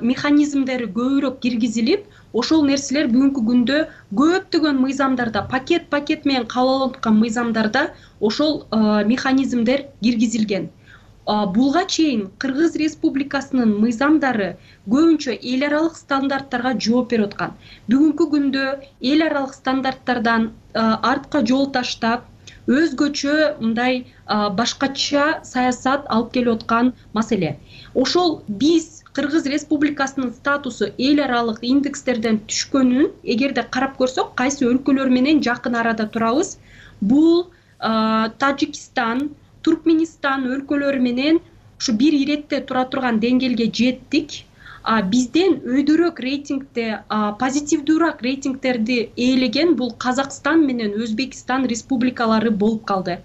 механизмдери көбүрөөк киргизилип, ошол нерселер бүгүнкү күндө көптөгөн мыйзамдарда, пакет-пакет менен кабыл алынган мыйзамдарда ошол механизмдер киргизилген. Булга чейин Кыргыз Республикасынын мыйзамдары көбүнчө эл аралык стандарттарга жооп берип аткан. Бүгүнкү күндө эл аралык стандарттардан артка жол таштап, өзгөчө мындай башкача саясат алып келип аткан маселе. Ошол биз Кыргыз Республикасынын статусу эл аралык индекстерден түшкөнүн эгерде карап көрсөк, кайсы өлкөлөр менен жакын арада турабыз? Бул Тажикстан, Туркменистан өлкөлөрү менен ушу бир иретте тура турган деңгээлге жеттик. Бизден өйдөрөөк рейтингде, позитивдүүрөөк рейтингтерди ээлеген бул Казакстан менен Өзбекстан республикалары болуп калды.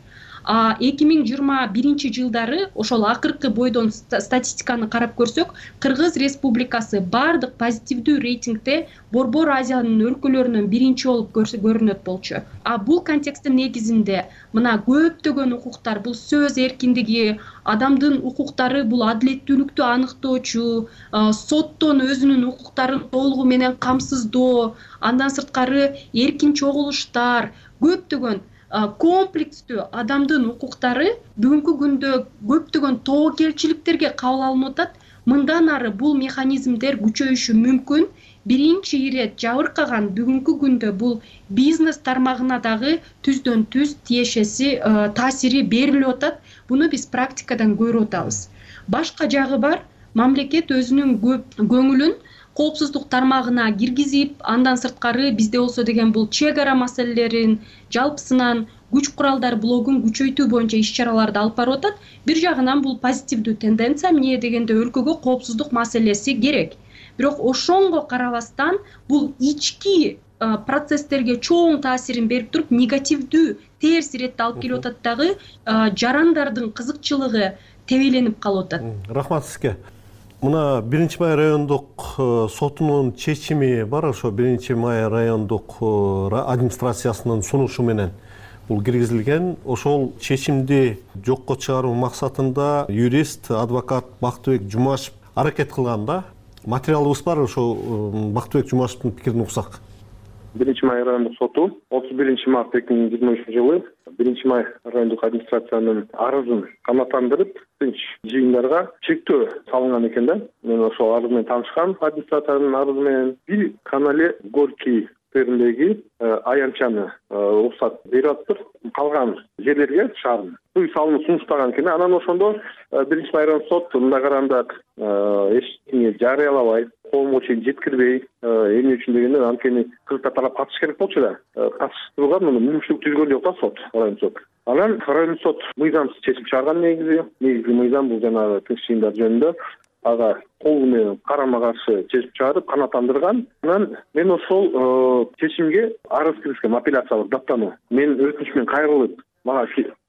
эки миң жыйырма биринчи жылдары ошол акыркы бойдон статистиканы карап көрсөк, Кыргыз Республикасы бардык позитивдүү рейтингде Борбор Азиянын өлкөлөрүнөн биринчи болуп көрүнөт болчу. А бул контексттин негизинде мына көптөгөн укуктар, бул сөз эркиндиги, адамдын укуктары, бул адилеттүүлүктү аныктоочу, соттон өзүнүн укуктарын толугу менен камсыздоо, андан сырткары эркин чогулуштар, көптөгөн комплекстүү адамдын укуктары бүгүнкү күндө көптөгөн тобокелчиликтерге кабыл алынып атат. Мындан ары бул механизмдер күчөйүшү мүмкүн. Биринчи ирет жабыркаган бүгүнкү күндө бул бизнес тармагына дагы түздөн түз тиешеси таасири берилип атат. Буну биз практикадан көрүп атабыз. Башка жагы бар, мамлекет өзүнүн көңүлүн коопсуздук тармагына киргизип, андан сырткары бизде болсо деген бул чек ара маселелерин, жалпысынан күч куралдар блогун күчөйтүү боюнча иш-чараларды алып барып атат. Бир жагынан бул позитивдүү тенденция, эмне дегенде өлкөгө коопсуздук маселеси керек. Бирок ошонго карабастан бул ички процесстерге чоң таасирин берип туруп, негативдүү терс иретти алып келип атат дагы, жарандардын кызыкчылыгы тебеленип калып атат. Рахмат сизге. Мына биринчи май райондук сотунун чечими бар, ошо биринчи май райондук администрациясынын сунушу менен бул киргизилген. Ошол чечимди жокко чыгаруу максатында юрист, адвокат Бактыбек Жумашев аракет кылган да. Материалыбыз бар, ошо Бактыбек Жумашевдин пикирин уксак. биринчи май райондук соту отуз биринчи март эки миң жыйырма үчүнчү жылы биринчи май райондук администрациянын арызын канааттандырып, тынч жыйындарга чектөө салынган экен да. Мен ошол арыз менен таанышкам, администрациянын арызы менен. Бир гана эле Горький сквериндеги аянтчаны уруксат берип атыптыр. Калган жерлерге шаардын үй салууну сунуштаган экен. Анан ошондо биринчи май райондук сот мындай караганда эчтене жарыялабай, коомго чейин жеткирбей, эмне үчүн дегенде анткени кыргыздар тарап катыш керек болчу да. Катышууга муну мүмкүнчүлүк түзгөн жок да сот, райондук сот. Анан райондук сот мыйзамсыз чечим чыгарган негизи. Негизги мыйзам бул жанагы тынч жыйындар жөнүндө ага кол менен карама каршы чечим чыгарып, канааттандырган. Анан мен ошол чечимге арыз киргизгем, апелляциялык даттануу. Мен өтүнүч менен кайрылып, мага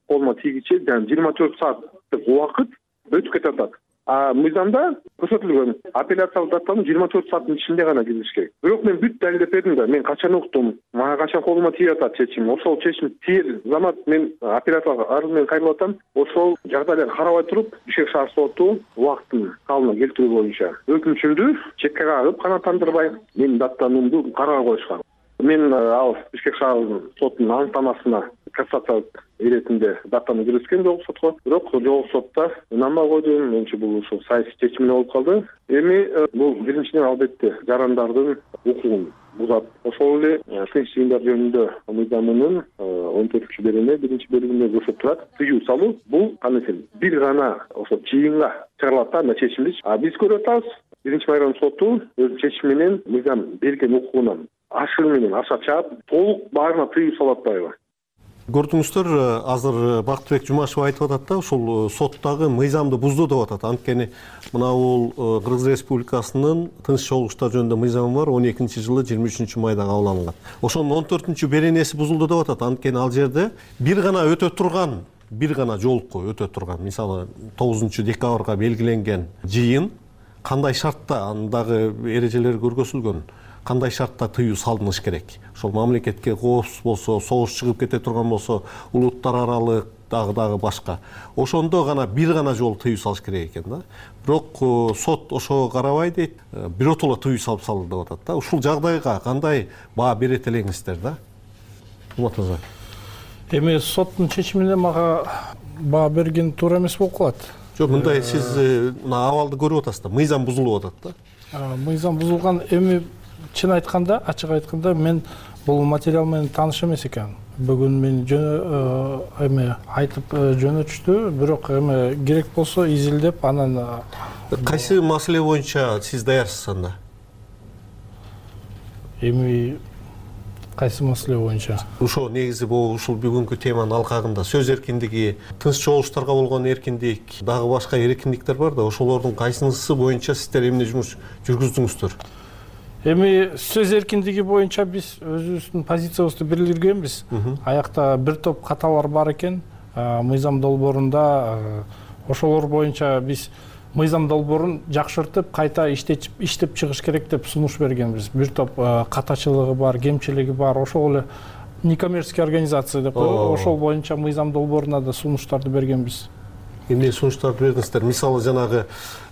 колума тийгиче жыйырма төрт сааттык убакыт өтүп кетип атат. А мыйзамда көрсөтүлгөн апелляциялык даттануу жыйырма төрт сааттын ичинде гана киргизиш керек. Бирок мен бүт далилдеп бердим да, мен качан уктум, мага качан колума тийип атат чечим. Ошол чечим тиер замат мен апелляциялык арыз менен кайрылып атам. Ошол жагдайларды карабай туруп, Бишкек шаар соту убактын калыбына келтирүү боюнча өкүнчүмдү чекке кагып, канааттандырбай менин даттануумду карабай коюшкан. Мен ал Бишкек шаар сотунун аныктамасына кассациялык иретинде даттануу киргизген жогу сотко. Бирок жогу сотто ынанбай койдум. Менчи бул ушул саясий чечим эле болуп калды. Эми бул биринчиден албетте жарандардын укугун бузат. Ошол эле тынч жыйындар жөнүндө мыйзамынын он төртүнчү берене биринчи бөлүгүндө көрсөтүп турат. Тыюу салуу бул кандай бир гана ошо жыйынга чыгарылат да, мына чечимди. А биз көрүп атабыз, биринчи май райондук соту өз чечими менен мыйзам берген укугунан ашыгы менен аша чаап, толук баарына тыюу салып атпайбы? Көрдүңүздөр, азыр Бактыбек Жумашев айтып атат да, ушул соттогу мыйзамды бузду деп атат. Анткени мына бул Кыргыз Республикасынын тынч чогулуштар жөнүндө мыйзамы бар, он экинчи жылы жыйырма үчүнчү майда кабыл алынган. Ошонун он төртүнчү беренеси бузулду деп атат. Анткени ал жерде бир гана өтө турган, бир гана жолку өтө турган, мисалы тогузунчу декабрга белгиленген жыйын кандай шартта, андагы эрежелер көргөзүлгөн, кандай шартта тыюу салыныш керек. Ошол мамлекетке коопсуз болсо, согуш чыгып кете турган болсо, улуттар аралык дагы дагы башка. Ошондо гана бир гана жолу тыюу салыш керек экен да. Бирок сот ошого карабай дейт, биротоло тыюу салып салды деп атат да. Ушул жагдайга кандай баа берет элеңиздер да? Умат мырза. Эми соттун чечимине мага баа берген туура эмес болуп калат. Жок, мындай сиз мына абалды көрүп атасыз да, мыйзам бузулуп атат да. Мыйзам бузулган, эми чын айтканда, ачык айтканда мен бул материал менен тааныш эмес экен. Бүгүн мен жөнө эме айтып жөнөтүштү, бирок эме керек болсо изилдеп анан кайсы маселе боюнча сиз даярсыз анда? Эми кайсы маселе боюнча? Ошо негизи бул ушул бүгүнкү теманын алкагында сөз эркиндиги, тынч чогулуштарга болгон эркиндик, дагы башка эркиндиктер бар да, ошолордун кайсынысы боюнча сиздер эмне жумуш жүргүздүңүздөр? Эми сөз эркиндиги боюнча биз өзүбүздүн позициябызды билдиргенбиз. Аякта бир топ каталар бар экен. Мыйзам долбоорунда ошолор боюнча биз мыйзам долбоорун жакшыртып, кайта иштеп иштеп чыгыш керек деп сунуш бергенбиз. Бир топ катачылыгы бар, кемчилиги бар, ошол эле некоммерческий организация деп коебуз. Ошол боюнча мыйзам долбооруна да сунуштарды бергенбиз. Эмне сунуштарды бердиңиздер? Мисалы жанагы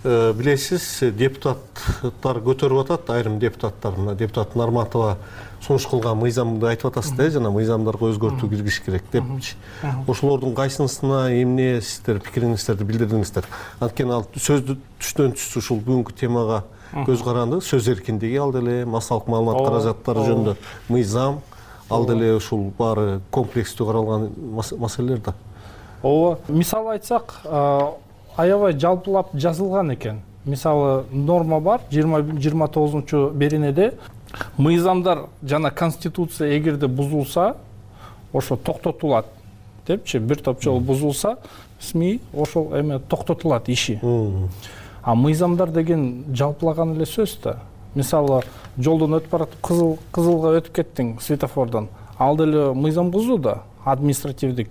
билесиз, депутаттар көтөрүп атат, айрым депутаттар, мына депутат Нарматова сунуш кылган мыйзамды айтып атасыз да, жана мыйзамдарга өзгөртүү киргизиш керек депчи. Ошолордун кайсынысына эмне сиздер пикириңиздерди билдирдиңиздер? Анткени ал сөздү түштөн түз ушул бүгүнкү темага көз каранды, сөз эркиндиги, ал деле массалык маалымат каражаттары жөнүндө мыйзам, ал деле ушул баары комплекстүү каралган маселелер да. Ооба, мисалы айтсак, аябай жалпылап жазылган экен. Мисалы норма бар, жыйырма тогузунчу беренеде мыйзамдар жана конституция эгерде бузулса, ошо токтотулат депчи, бир топ жолу бузулса, СМИ ошол эме токтотулат иши. А мыйзамдар деген жалпылаган эле сөз да. Мисалы жолдон өтүп баратып кызыл кызылга өтүп кеттиң светофордон. Ал деле мыйзам бузуу да, административдик.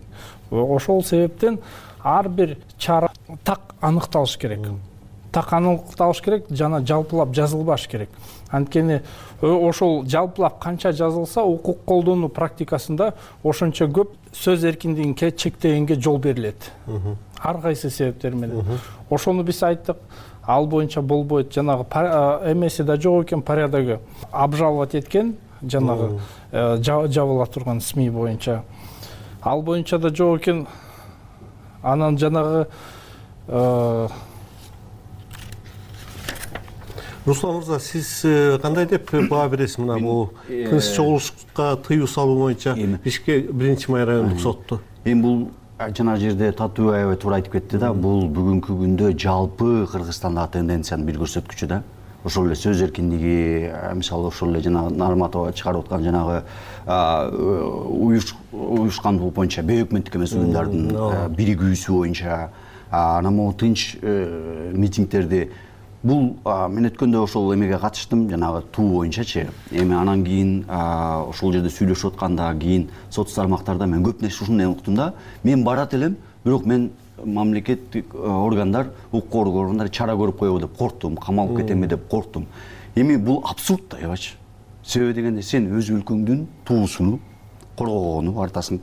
Ошол себептен ар бир чара так аныкталыш керек. Так аныкталыш керек жана жалпылап жазылбаш керек. Анткени ошол жалпылап канча жазылса, укук колдонуу практикасында ошончо көп сөз эркиндигин чектегенге жол берилет. Ар кайсы себептер менен. Ошону биз айттык, ал боюнча болбойт. Жанагы эмеси да жок экен, порядогу обжаловать эткен, жанагы жабыла турган СМИ боюнча. Ал боюнча да жок экен. Анан жанагы Руслан мырза, сиз кандай деп баа бересиз мына бул тынч чогулушка тыюу салуу боюнча Бишкек биринчи май райондук сотту? Эми бул жана жерде Татуу аябай туура айтып кетти да, бул бүгүнкү күндө жалпы Кыргызстандагы тенденциянын бир көрсөткүчү да. Ошол эле сөз эркиндиги, мисалы ошол эле жана Нарматова чыгарып аткан жанагы уюшкандуу боюнча бейөкмөттүк эмес уюмдардын биригүүсү боюнча, анан могу тынч митингдерди бул мен өткөндө ошол эмеге катыштым, жанагы туу боюнчачы. Эми анан кийин ошол жерде сүйлөшүп аткандан кийин соц тармактарда мен көп нерсе ушуну уктум да. Мен барат элем, бирок мен мамлекеттик органдар, укук органдары чара көрүп коебу деп корктум, камалып кетемби деп корктум. Эми бул абсурд да, эбачы. Себеби дегенде сен өз өлкөңдүн туусуну коргогону артасың,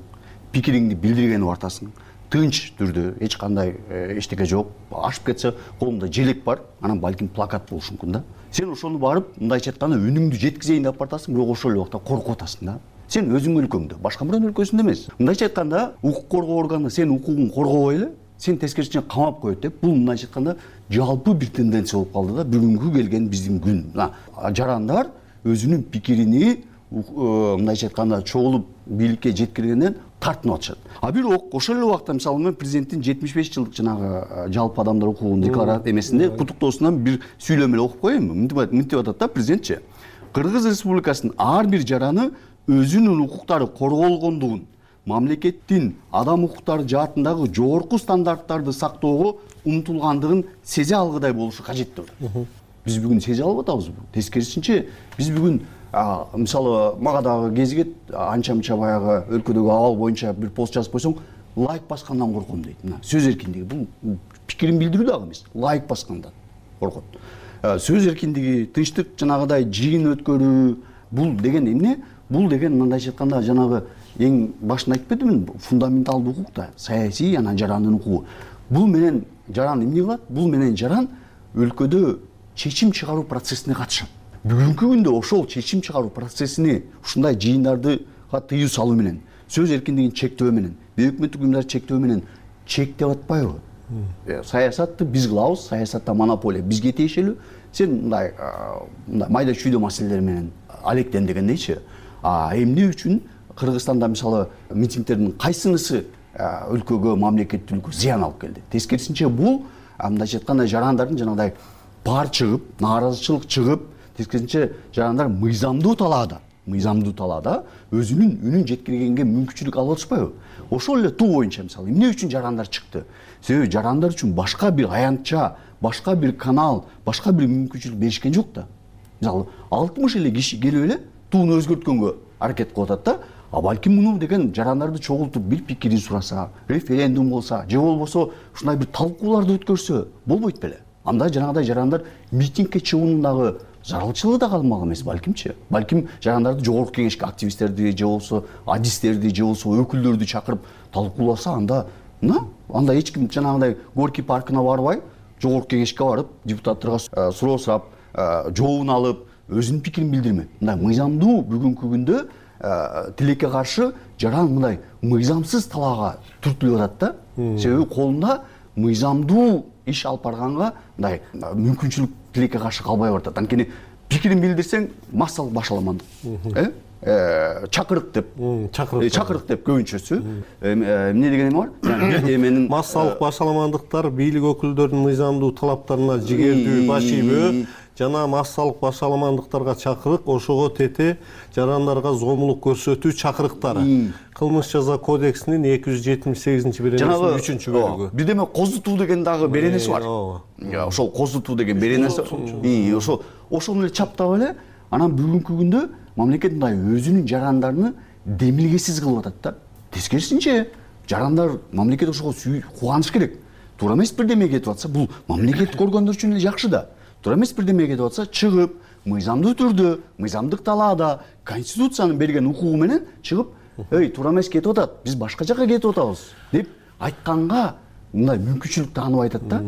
пикириңди билдиргени артасың, тынч түрдө эч кандай эчтеке жок, ашып кетсе колуңда желек бар, анан балким плакат болушу мүмкүн да. Сен ошону барып, мындайча айтканда үнүңдү жеткизейин деп бартасың, бирок ошол эле убакта коркуп атасың да. Сен өзүң өлкөңдө, башка бирөөнүн өлкөсүндө эмес. Мындайча айтканда, укук коргоо органы сен укугуң коргобой эле, сен тескерисинче камап коет деп, бул мындайча айтканда жалпы бир тенденция болуп калды да, бүгүнкү келген биздин күн. Жарандар өзүнүн пикирини мындайча айтканда чогулуп бийликке жеткиргенден тартынып атышат. А бирок ошол эле убакта мисалы мен президенттин жетимиш беш жылдык жанагы жалпы адамдар укугунун декларация эмесинде куттуктоосунан бир сүйлөм эле окуп коеюнбу? Мынтип атат да президентчи. Кыргыз Республикасынын ар бир жараны өзүнүн укуктары корголгондугун, мамлекеттин адам укуктары жаатындагы жогорку стандарттарды сактоого умтулгандыгын сезе алгыдай болушу кажет деп. Биз бүгүн сезе алып атабызбы? Тескерисинче биз бүгүн мисалы мага дагы кезигет, анча мынча баягы өлкөдөгү абал боюнча бир пост жазып койсоң, лайк баскандан корком дейт. Мына сөз эркиндиги бул пикирин билдирүү дагы эмес, лайк баскандан коркот. Сөз эркиндиги, тынчтык жанагыдай жыйын өткөрүү, бул деген эмне? Бул деген мындайча айтканда жанагы эң башында айтып кетимин, фундаменталдуу укук да, саясий анан жарандын укугу. Бул менен жаран эмне кылат? Бул менен жаран өлкөдө чечим чыгаруу процессине катышат. Бүгүнкү күндө ошол чечим чыгаруу процессине ушундай жыйындарды тыюу салуу менен, сөз эркиндигин чектөө менен, бейөкмөттүк уюмдарды чектөө менен чектеп атпайбы? Саясатты биз кылабыз, саясатта монополия бизге тиешелүү. Сен мындай мындай майда чүйдө маселелер менен алектен дегендейчи. А эмне үчүн Кыргызстанда мисалы митингдердин кайсынысы өлкөгө, мамлекеттүүлүккө зыян алып келди? Тескерисинче бул мындайча айтканда жарандардын жанагыдай пар чыгып, нааразычылык чыгып, тескерисинче жарандар мыйзамдуу талаада, мыйзамдуу талаада өзүнүн үнүн жеткиргенге мүмкүнчүлүк алып атышпайбы? Ошол эле туу боюнча мисалы эмне үчүн жарандар чыкты? Себеби жарандар үчүн башка бир аянтча, башка бир канал, башка бир мүмкүнчүлүк беришкен жок да. Мисалы алтымыш эле киши келип эле тууну өзгөрткөнгө аракет кылып атат да. А балким муну деген жарандарды чогултуп бир пикирин сураса, референдум болсо, же болбосо ушундай бир талкууларды өткөрсө болбойт беле? Анда жанагыдай жарандар митингге чыгуунун дагы зарылчылыгы да калмак эмес балкимчи. Балким жарандарды жогорку кеңешке активисттерди же болбосо адистерди же болбосо өкүлдөрдү чакырып талкууласа, анда мына анда эч ким жанагыдай Горький паркына барбай, жогорку кеңешке барып, депутаттарга суроо сурап, жообун алып, өзүнүн пикирин билдирмек. Мындай мыйзамдуу бүгүнкү күндө тилекке каршы жаран мындай мыйзамсыз талаага түртүлүп атат да. Себеби колунда мыйзамдуу иш алып барганга мындай мүмкүнчүлүк тилекке каршы калбай баратат. Анткени пикирин билдирсең массалык башаламандык, э, чакырык деп, чакырык, чакырык деп көбүнчөсү эмне деген эме бар? Бир эменин массалык башаламандыктар бийлик өкүлдөрүнүн мыйзамдуу талаптарына жигердүү баш ийбөө жана массалык башаламандыктарга чакырык, ошого тете жарандарга зомбулук көрсөтүү чакырыктары. Кылмыш жаза кодексинин эки жүз жетимиш сегизинчи беренесинин үчүнчү бөлүгү. Бирдеме козутуу деген дагы беренеси бар. Ошол козутуу деген беренеси. Ошол ошону эле чаптап эле, анан бүгүнкү күндө мамлекет мындай өзүнүн жарандарын демилгесиз кылып атат да. Тескерисинче жарандар мамлекет ошого кубаныш керек. Туура эмес бирдеме кетип атса, бул мамлекет көргөндөр үчүн эле жакшы да. Туура эмес бирдеме кетип атса, чыгып, мыйзамдуу түрдө, мыйзамдык талаада, конституциянын берген укугу менен чыгып, "Эй, туура эмес кетип атат, биз башка жака кетип атабыз" деп айтканга мындай мүмкүнчүлүк таанып айтат да.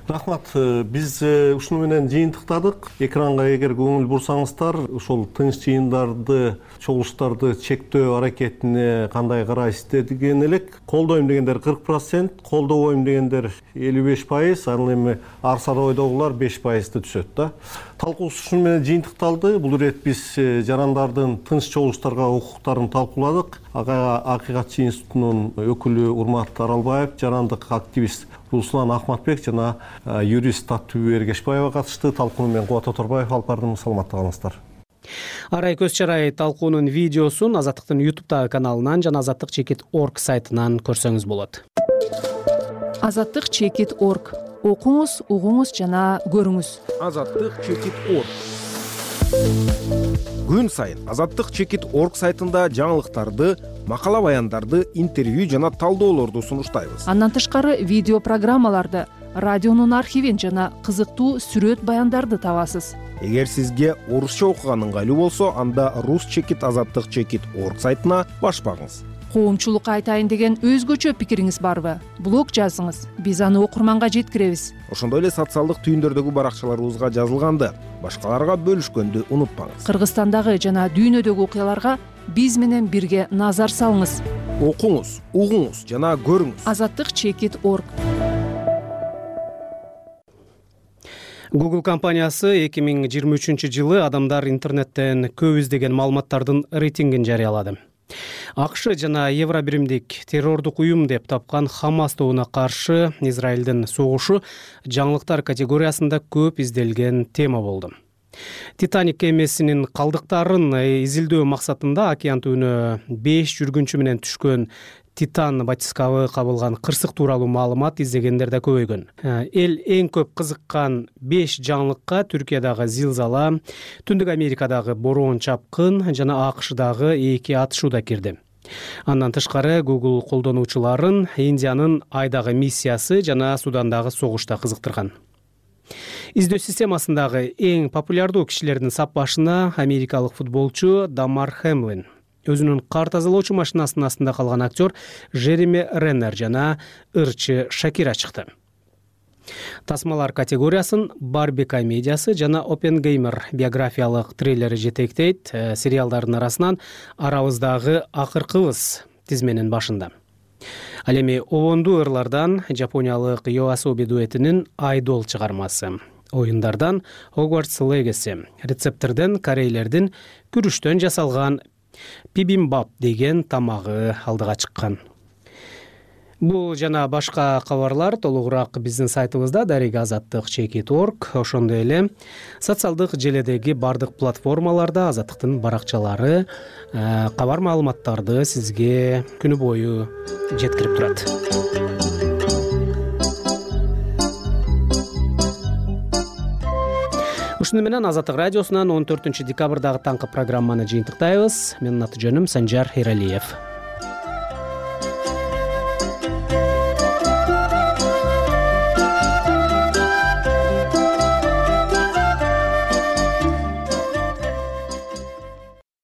Рахмат, биз ушуну менен жыйынтыктадык. Экранга эгер көңүл бурсаңыздар, ошол тынч жыйындарды, чогулуштарды чектөө аракетине кандай карайсыздар деген элек. Колдойм дегендер кырк процент, колдобойм дегендер элүү беш пайыз, анан эми ар саройдогулар беш пайызды түшөт да. Талкуубуз ушуну менен жыйынтыкталды. Бул ирет биз жарандардын тынч чогулуштарга укуктарын талкууладык. Ага Акыйкатчы институтунун өкүлү Урмат Аралбаев, жарандык активист Руслан Ахматбек жана юрист Таттыбү Эргешбаева катышты. Талкууну мен Кубат Оторбаев алып бардым. Саламатта калыңыздар. Арай көз чарай талкуунун видеосун Азаттыктын YouTube каналынан жана азаттык чекит точка орг сайтынан көрсөңүз болот. азаттык чекит точка орг. Окуңуз, угуңуз жана көрүңүз. азаттык чекит точка орг. Күн сайын азаттык чекит точка орг сайтында жаңылыктарды, макала баяндарды, интервью жана талдоолорду сунуштайбыз. Андан тышкары видео программаларды, радионун архивин жана кызыктуу сүрөт баяндарды табасыз. Эгер сизге орусча окуган ыңгайлуу болсо, анда рус чекит азаттык чекит точка орг сайтына баш багыңыз. Коомчулукка айтайын деген өзгөчө пикириңиз барбы? Блог жазыңыз, биз аны окурманга жеткиребиз. Ошондой эле социалдык түйүндөрдөгү баракчаларыбызга жазылганды башкаларга бөлүшкөндү унутпаңыз. Кыргызстандагы жана дүйнөдөгү окуяларга биз менен бирге назар салыңыз. Окуңуз, угуңуз жана көрүңүз. азаттык чекит точка орг. Google компаниясы эки миң жыйырма үчүнчү жылы адамдар интернеттен көп издеген маалыматтардын рейтингин жарыялады. АКШ жана Евробиримдик террордук уюм деп тапкан Хамас тобуна каршы Израилдин согушу жаңылыктар категориясында көп изделген тема болду. Титаник кемесинин калдыктарын изилдөө максатында океан түбүнө беш жүргүнчү менен түшкөн Титан батискабы кабылган кырсык тууралуу маалымат издегендер да көбөйгөн. Эл эң көп кызыккан беш жаңылыкка Түркиядагы зилзала, Түндүк Америкадагы бороон чапкын жана АКШдагы эки атышуу да кирди. Андан тышкары Google колдонуучуларын Индиянын Айдагы миссиясы жана Судандагы согуш да кызыктырган. Издөө системасындагы эң популярдуу кишилердин сап башына америкалык футболчу Дамар Хэмлин, өзүнүн кар тазалоочу машинасынын астында калган актер Жереми Реннер жана ырчы Шакира чыкты. Тасмалар категориясын Барби комедиясы жана Оппенгеймер биографиялык трейлери жетектейт. Сериалдардын арасынан Арабыздагы акыркыбыз тизменин башында. Ал эми обондуу ырлардан жапониялык Йоасоби дуэтинин Айдол чыгармасы, оюндардан Hogwarts Legacy, рецептерден корейлердин күрүштөн жасалган Бибимбап деген тамагы алдыга чыккан. Бул жана башка кабарлар толугураак биздин сайтыбызда дарек азаттык чекит точка орг, ошондой эле социалдык желедеги бардык платформаларда Азаттыктын баракчалары кабар маалыматтарды сизге күнү бою жеткирип турат. Ушуну менен Азаттык радиосунан он төртүнчү декабрдагы таңкы программаны жыйынтыктайбыз. Менин аты жөнүм Санжар Эралиев.